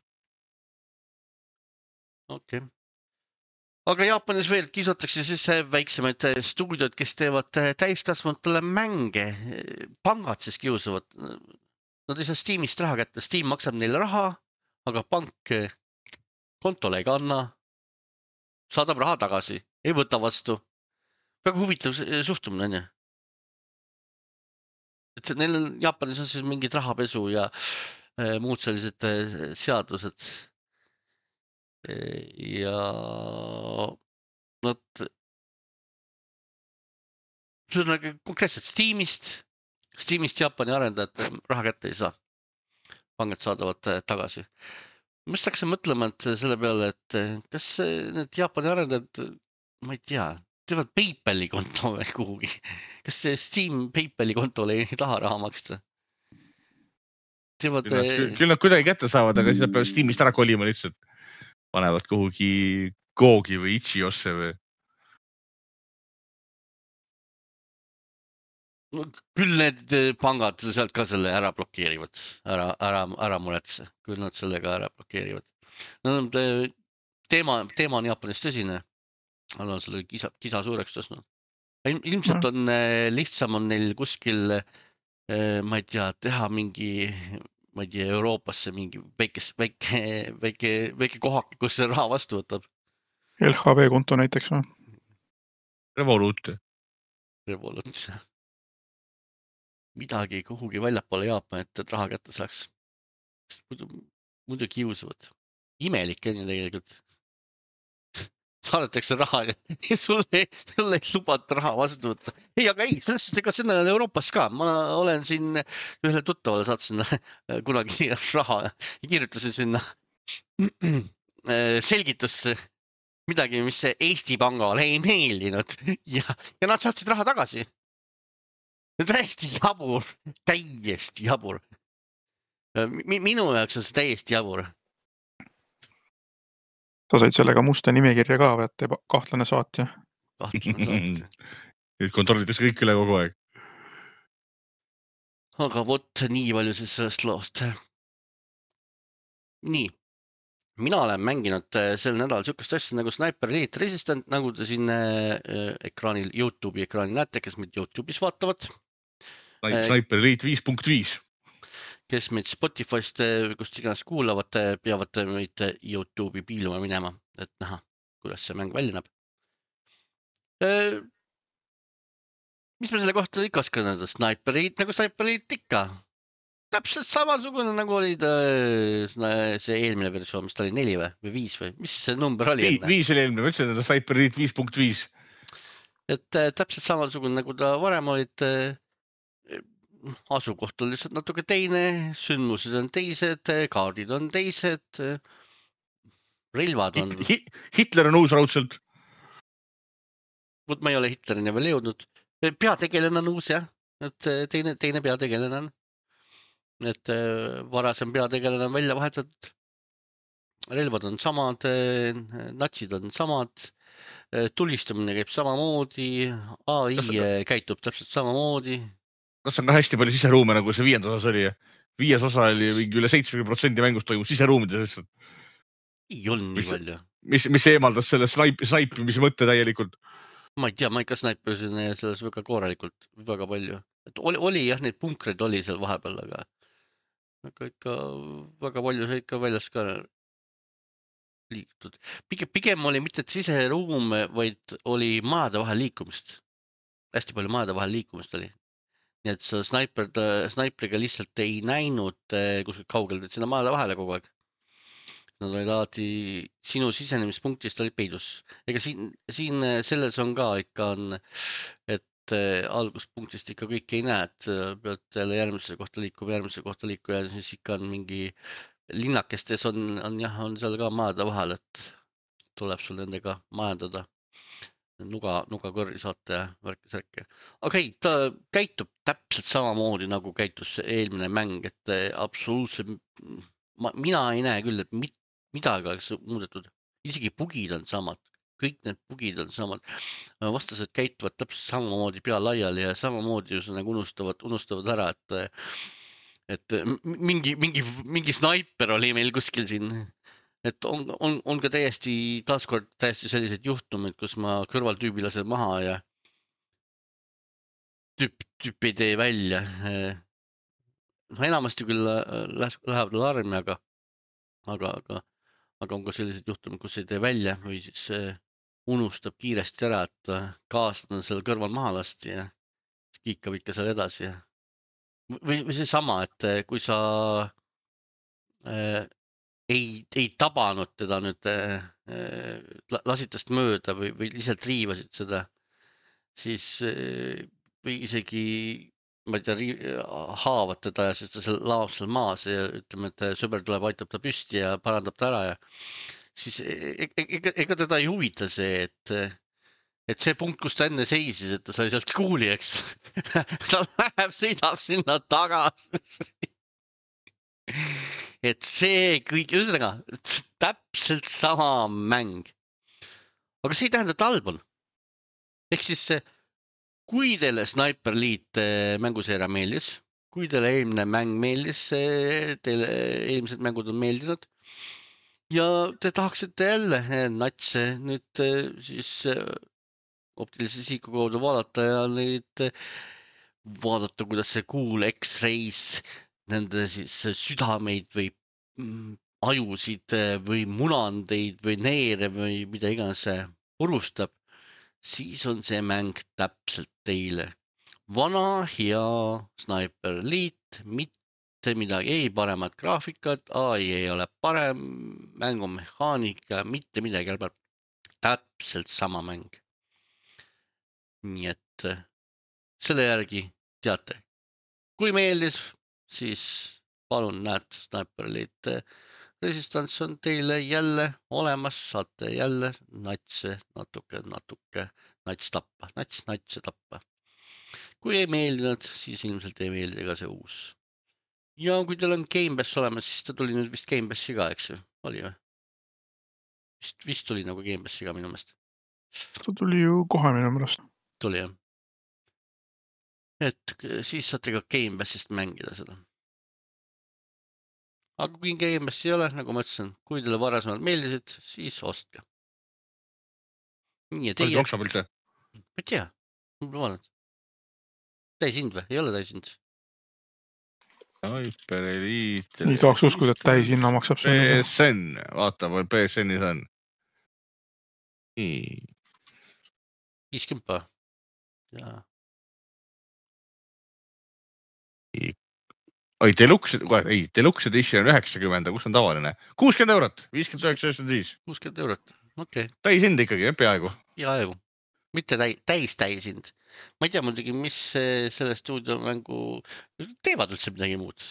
A: Okei. Okay. Aga Jaapanis veel kiusatakse siis väiksemaid stuudiod, kes teevad täiskasvanutele mänge. Pangad siis kiusavad. Nad ei saa Steamist raha kätte. Steam maksab neile raha, aga pank kontole ei kanna. Saadab raha tagasi, ei võta vastu. Väga huvitav suhtumine, on ju. Et neil on, Jaapanis on siis mingid rahapesu ja äh, muud sellised äh, seadused. Ja nad see on konkreetselt Steamist, Steamist Jaapani arendajad raha kätte ei saa. Pangad saadavad tagasi. Ma just hakkasin mõtlema, et selle peale, et kas need Jaapani arendajad, ma ei tea, teevad PayPali konto või kuhugi. Kas see Steam PayPali kontole ei taha raha maksta? Teevad...
B: Küll, küll nad kuidagi kätte saavad, aga siis nad peavad Steamist ära kolima lihtsalt. Panevad kuhugi Googi või Itchiosse või...
A: Küll need pangad sealt ka selle ära blokeerivad, ära, ära, ära muretse, küll nad sellega ära blokeerivad. No, teema, teema on Jaapanis tõsine, on selle kisa, kisa suureks tõstnud. Ilmselt on lihtsam on neil kuskil, ma ei tea, teha mingi ma ei tea, Euroopasse mingi väikes, väike, väike, väike kohak, kus see raha vastu võtab.
C: L H V konto näiteks või?
B: Revolut.
A: Revolut. Midagi kuhugi väljapoole Jaapanit, et raha kätte saaks. Muidu, muidu kiusavad. Imelik on ju tegelikult. Saadetakse raha ja sulle, sulle ei lubata raha vastu võtta. Ei, aga ei, selles suhtes, ega seda on Euroopas ka. Ma olen siin ühele tuttavale saatsin kunagi raha ja kirjutasin sinna selgitusse midagi, mis Eesti Pangale ei meeldinud ja, ja nad saatsid raha tagasi. Täiesti jabur, täiesti jabur. Minu jaoks on see täiesti jabur.
C: Sa said sellega musta nimekirja ka, et kahtlane saatja.
A: Kahtlane saatja.
B: Nüüd kontrollitakse kõik üle kogu aeg.
A: Aga vot nii palju siis sellest loost. Nii. Mina olen mänginud sel nädal sükast asja nagu Sniper Elite Resistant, nagu te siin ekraanil, YouTube'i ekraanil näete, kes meid YouTube'is vaatavad.
B: Sniper Elite viis punkt viis.
A: Kes meid Spotify'st, kust iganes kuulavad, peavad meid YouTube'i piiluma minema, et näha, kuidas see mäng välja näeb. Mis me selle kohta ikka oskan öelda? Sniper Elite nagu Sniper Elite ikka. Täpselt samasugune nagu oli ta, see eelmine versioon, mis ta oli neli või, või viis või? Mis see number oli?
B: Viis oli eelmine, ma ütlesin, et Sniper Elite viis punkt viis.
A: Et täpselt samasugune nagu ta varem olid. Asukoht on lihtsalt natuke teine, sündmused on teised, kaardid on teised, relvad on...
B: Hitler on uus raudselt.
A: Vot ma ei ole Hitlerini veel jõudnud. Peategelane on uus, jah. Et teine, teine peategelane on. Et varasem peategelane on välja vahetatud. Relvad on samad, natsid on samad, tulistamine käib samamoodi, A I käitub täpselt samamoodi.
B: Kas on ka hästi palju siseruume, nagu see viiendas osas oli? Viies osa oli mingi üle seitsekümmend protsenti mängust toimub siseruumides.
A: Ei olnud nii palju.
B: Mis, mis eemaldas selle snaipimise mõtte täielikult?
A: Ma ei tea, ma ikka snaipisin selles väga korralikult, väga palju. Et oli, oli jah, neid punkreid oli seal vahepeal, aga, aga ikka väga palju see ikka väljas ka liikutud. Pigem, pigem oli mitte siseruum, vaid oli maade vahel liikumist. Hästi palju maade vahel liikumist oli. Nii et sa sniper, snaipriga lihtsalt ei näinud kuskilt kaugelt, et sinna maale vahele kogu aeg. Nad olid alati sinu sisenemispunktist olid peidus. Ega siin, siin selles on ka ikka on, et alguspunktist ikka kõik ei näe, et pead jälle järgmise kohta liikuma, järgmise kohta liikuma ja siis ikka on mingi linnakestes on, on jah, on seal ka maade vahel, et tuleb sul nendega majandada. Nuga, nuga kõrri saate ja värki särki. Aga ei, ta käitub täpselt samamoodi nagu käitus eelmine mäng, et absoluutselt, ma, mina ei näe küll, et mit, midagi oleks muudetud. Isegi bugid on samad, kõik need bugid on samad. Vastased käituvad täpselt samamoodi pea laiali ja samamoodi just nagu unustavad, unustavad ära, et, et mingi, mingi, mingi snaiper oli meil kuskil siin. Et on, on, on ka täiesti, taaskord täiesti sellised juhtumid, kus ma kõrvaltüübi lasen maha ja tüüp, tüüp ei tee välja. No enamasti küll lähevad alarmi, aga, aga, aga, aga on ka sellised juhtumid, kus ei tee välja või siis unustab kiiresti ära, et kaasad on seal kõrval maha lasti ja kiikab ikka seal edasi. Või, või see sama, et kui sa äh, Ei, ei tabanud teda nüüd äh, lasitast mööda või, või lihtsalt riivasid seda, siis äh, või isegi, ma ei tea, haavad teda ja siis ta seal laob seal maas ja ütleme, et sõber tuleb, aitab ta püsti ja parandab ta ära ja siis ega, ega teda ei huvita see, et, et see punkt, kus ta enne seisis, et ta sai sealt kuuli, eks. ta läheb, seisab sinna tagasi. Et see kõik, ühesõnaga, täpselt sama mäng. Aga see ei tähenda, et halb on. Ehk siis, kui teile Sniper Elite mänguseeria meeldis, kui teile eelmine mäng meeldis, teile eelmised mängud on meeldinud ja te tahaksite jälle natse nüüd siis optilise isiku kaudu vaadata ja neid vaadata, kuidas see cool X-Rays nende siis südameid või mm, ajusid või munandeid või neere või mida iganes see purustab, siis on see mäng täpselt teile. Vana hea Sniper Elite, mitte midagi, ei paremat graafikat, A I ei ole parem, mängumehaanika, mitte midagi jälle parem. Täpselt sama mäng. Nii et selle järgi teate, kui meeldis, siis palun näed Sniper Elite Resistance on teile jälle olemas, saate jälle natse natuke, natuke nats tappa, nats, natse tappa. Kui ei meeldinud, siis ilmselt ei meeldi ka see uus. Ja kui teil on Game Pass olemas, siis ta tuli nüüd vist Game Passi ka, eks ju? Oli või? Vist, vist tuli nagu Game Passi ka minu meelest.
C: Ta tuli ju kohe minu meelest.
A: Tuli jah. Et siis saate ka Game Passist mängida seda. Aga kui Game Passi ei ole, nagu ma ütlesin, kui teile varasemalt meeldisid, siis ostke. Nii ja teie...
B: Maksab üldse?
A: Ma ei tea. Ma vaatan. Täishind või? Ei ole täishind.
B: Sniper Elite.
C: Nii tahaks uskuda, et täishinna maksab
B: P S N, vaata või P S N-is on. Nii.
A: viiskümmend pa. Ja.
B: Oi, Deluxe, ei, Deluxe Edition on üheksakümmend, kus on tavaline? kuuskümmend eurot, viiskümmend üheksa üheksakümmend viis.
A: kuuskümmend eurot, okei. Okay.
B: Täishind ikkagi, peaaegu.
A: Peaaegu. Mitte täis täishind. Ma ei tea muidugi, mis selle stuudiomängu teevad üldse midagi muud.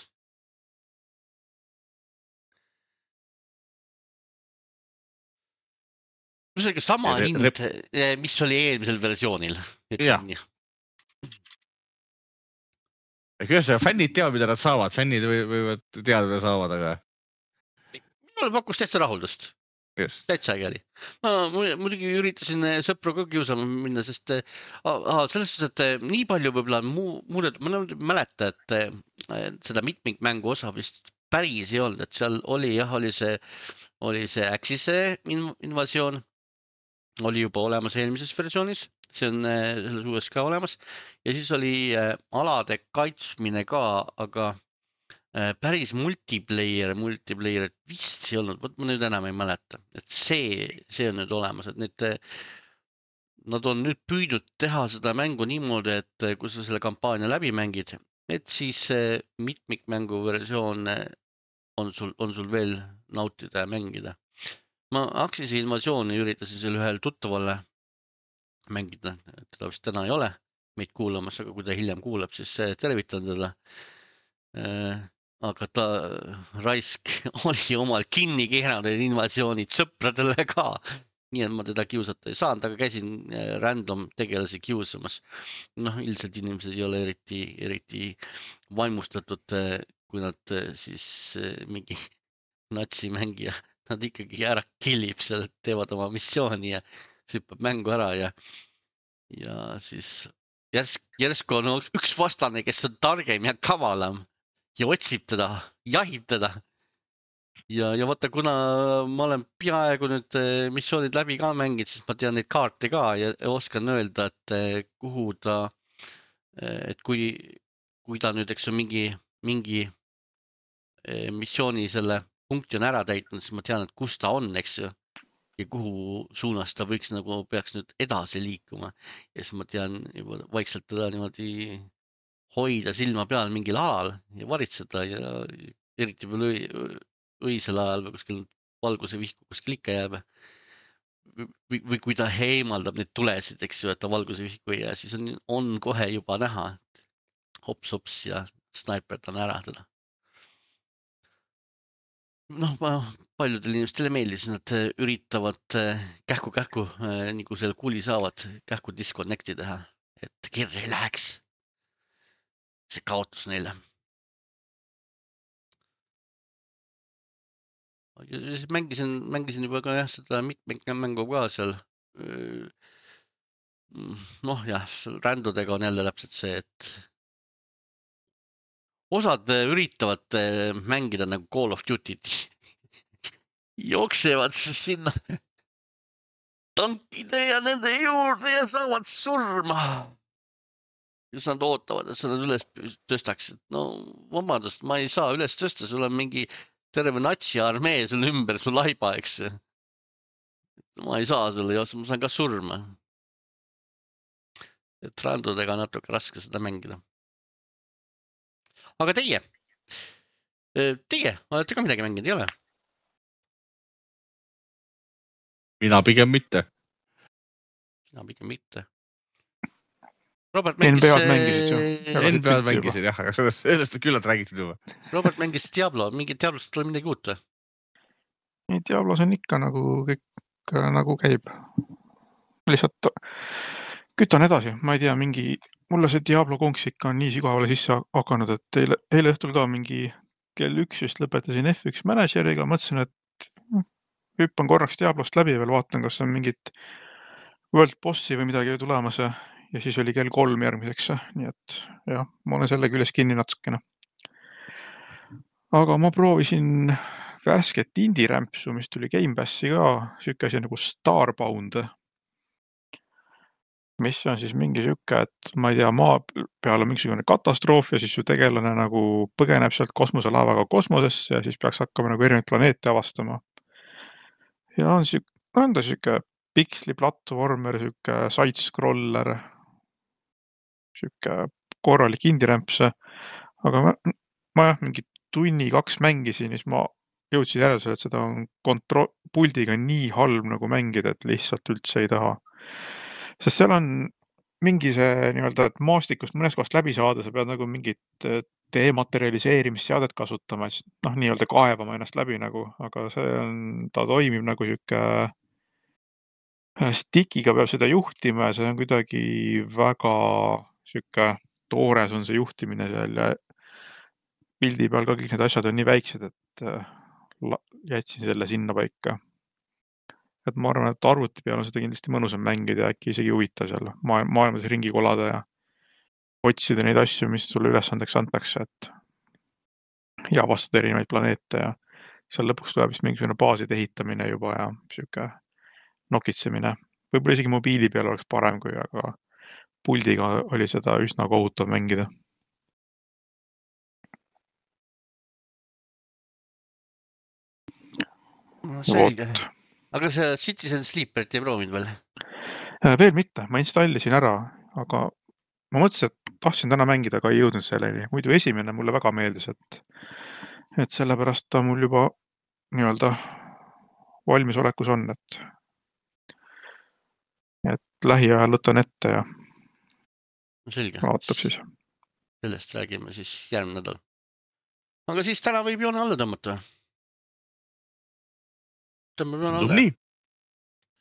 A: See oli sama Re hind, mis oli eelmisel versioonil.
B: Jah. Kuidas fännid teavad, mida nad saavad? Fännid võivad teada, mida saavad, aga...
A: Minul pakkus täitsa rahuldust. Yes. Täitsa äge oli. Ma muidugi üritasin sõpru ka kiusama minna, sest aha, selles suhtes, et nii palju võib-olla muudet, ma mäleta, et seda mitmikmängu osa vist päris ei olnud, et seal oli jah, oli see, oli see Axise invasioon, oli juba olemas eelmises versioonis, see on selles uues ka olemas ja siis oli alade kaitsmine ka, aga päris multiplayer, multiplayer, et vist ei olnud, võt ma nüüd enam ei mäleta, et see, see on nüüd olemas, et need, nad on nüüd püüdnud teha seda mängu niimoodi, et kui sa selle kampaania läbi mängid, et siis mitmikmängu versioon on sul, on sul veel nautida ja mängida. Ma Axise invasiooni üritasin seal ühel tuttavale mängida, teda vist täna ei ole meid kuulamas, aga kui ta hiljem kuulab, siis tervitan teda. Aga ta raisk oli omal kinni keeranud invasioonid sõpradele ka. Nii et ma teda kiusata ei saanud, aga käisin random tegelasi kiusamas. Noh, ilmselt inimesed ei ole eriti, eriti vaimustatud, kui nad siis mingi natsimängija, nad ikkagi ära killib seal, teevad oma missiooni ja süppab mängu ära ja, ja siis järsk, järsku on üks vastane, kes on targem ja kavalam. Ja otsib teda, jahib teda. Ja, ja vaata, kuna ma olen peaaegu nüüd missioonid läbi ka mängid, siis ma tean neid kaarte ka ja oskan öelda, et kuhu ta, et kui, kui ta nüüd, eks on mingi, mingi missiooni selle punkti on ära täitnud, siis ma tean, et kus ta on, eks ju. Ja kuhu suunas ta võiks nagu, peaks nüüd edasi liikuma. Ja siis ma tean juba vaikselt teda niimoodi hoida silma peal mingil alal ja varitseda ja eriti veel õisel ajal või kuskil valguse vihku kuskil ikka jääb. Või, või kui ta heimaldab neid tulesid, eks ju, et ta valguse vihku ei jää, siis on, on kohe juba näha, hops-hops ja snaiperdan ära teda. Noh, paljudel inimestele meeldis, nad üritavad kähku-kähku, nii kui selle kuli saavad, kähku disconnecti teha, et kirja ei läheks. See kaotus neile. Mängisin, mängisin juba ka jah, seda mitmikmängu ka seal. Noh jah, rändudega on jälle täpselt see, et osad üritavad mängida nagu Call of Duty't. Jooksevad sinna tankide ja nende juurde ja saavad surma. kes nad ootavad, et sa nad üles tõstaksid. No vabandust, ma ei saa üles tõsta, sul on mingi terve natsi armee sul ümber, sul laiba, eks. Ma ei saa sulle, ma saan ka surma. Et randudega on natuke raske seda mängida. Aga teie, teie, olete ka midagi mänginud, ei ole?
B: Mina pigem mitte.
A: Mina pigem mitte. Robert
C: N
A: mängis...
C: B A-d mängisid ju.
B: N B A-d mängisid, jah, aga sellest küllalt räägitud juba.
A: Robert mängis Diablo, mingi Diablost tuli midagi uut või?
C: Ei, Diablos on ikka nagu kõik nagu käib. Lihtsalt kütan edasi, ma ei tea, mingi, mulle see Diablo konks ikka on nii sügavale sisse hakanud, et eile, eile õhtul ka mingi kell üks vist lõpetasin F üks manageriga, mõtlesin, et hüppan korraks Diablost läbi ja veel vaatan, kas on mingit World Bossi või midagi tulemas ja siis oli kell kolm järgmiseks, nii et jah, ma olen selle küljes kinni natukene. Aga ma proovisin värsket indie-rämpsu, mis tuli Game Passi ka, süüke asi nagu Starbound, mis on siis mingi süüke, et ma ei tea, maa peal on mingisugune katastroof ja siis su tegelane nagu põgeneb sealt kosmoselaevaga kosmosesse ja siis peaks hakkama nagu erinevaid planeete avastama. Ja on süüke, on ta süüke piksli platvormer, süüke side-scroller, süüke korralik indie-rämps, aga ma, ma jah, mingi tunni kaks mängisin, siis ma jõudsin järeldusele, et seda on kontro- puldiga nii halb nagu mängida, et lihtsalt üldse ei taha. Sest seal on mingi see nii-öelda, et maastikust mõnes kohast läbi saada, sa pead nagu mingit dematerialiseerimisseadet kasutama, et noh, nii-öelda kaevama ennast läbi nagu, aga see on, ta toimib nagu süüke stickiga peab seda juhtima ja see on kuidagi väga süüke toores on see juhtimine seal ja pildi peal ka kõik need asjad on nii väiksed, et jätsin selle sinna paika. Et ma arvan, et arvuti peal on seda kindlasti mõnusam mängida ja äkki isegi huvitav seal maailmas ringi kolada ja otsida neid asju, mis sulle ülesandeks antakse, et ja avastada erinevaid planeete ja seal lõpuks tuleb vist mingisugune baaside ehitamine juba ja süüke nokitsemine. Võib-olla isegi mobiili peal oleks parem kui, aga puldiga oli seda üsna kohutav mängida.
A: No, selge. Aga see Citizen Sleeperit ei proovinud veel?
C: Veel mitte, ma installisin ära, aga ma mõtlesin, et tahtsin täna mängida, aga ei jõudnud selleni. Muidu esimene mulle väga meeldis, et, et sellepärast ta mul juba nii-öelda valmisolekus on, et, et lähiajal võtan ette ja
A: selge.
C: vaatab siis.
A: Sellest räägime siis järgmine nädal. Aga siis täna võib joone alla tõmmata. Tõmbab joone alla.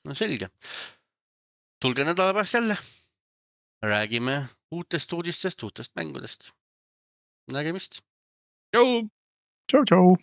A: No selge. Tulge nädala pärast jälle. Räägime uutest uudistest, uutest mängudest. Nägemist.
B: Tšau.
C: Tšau, tšau.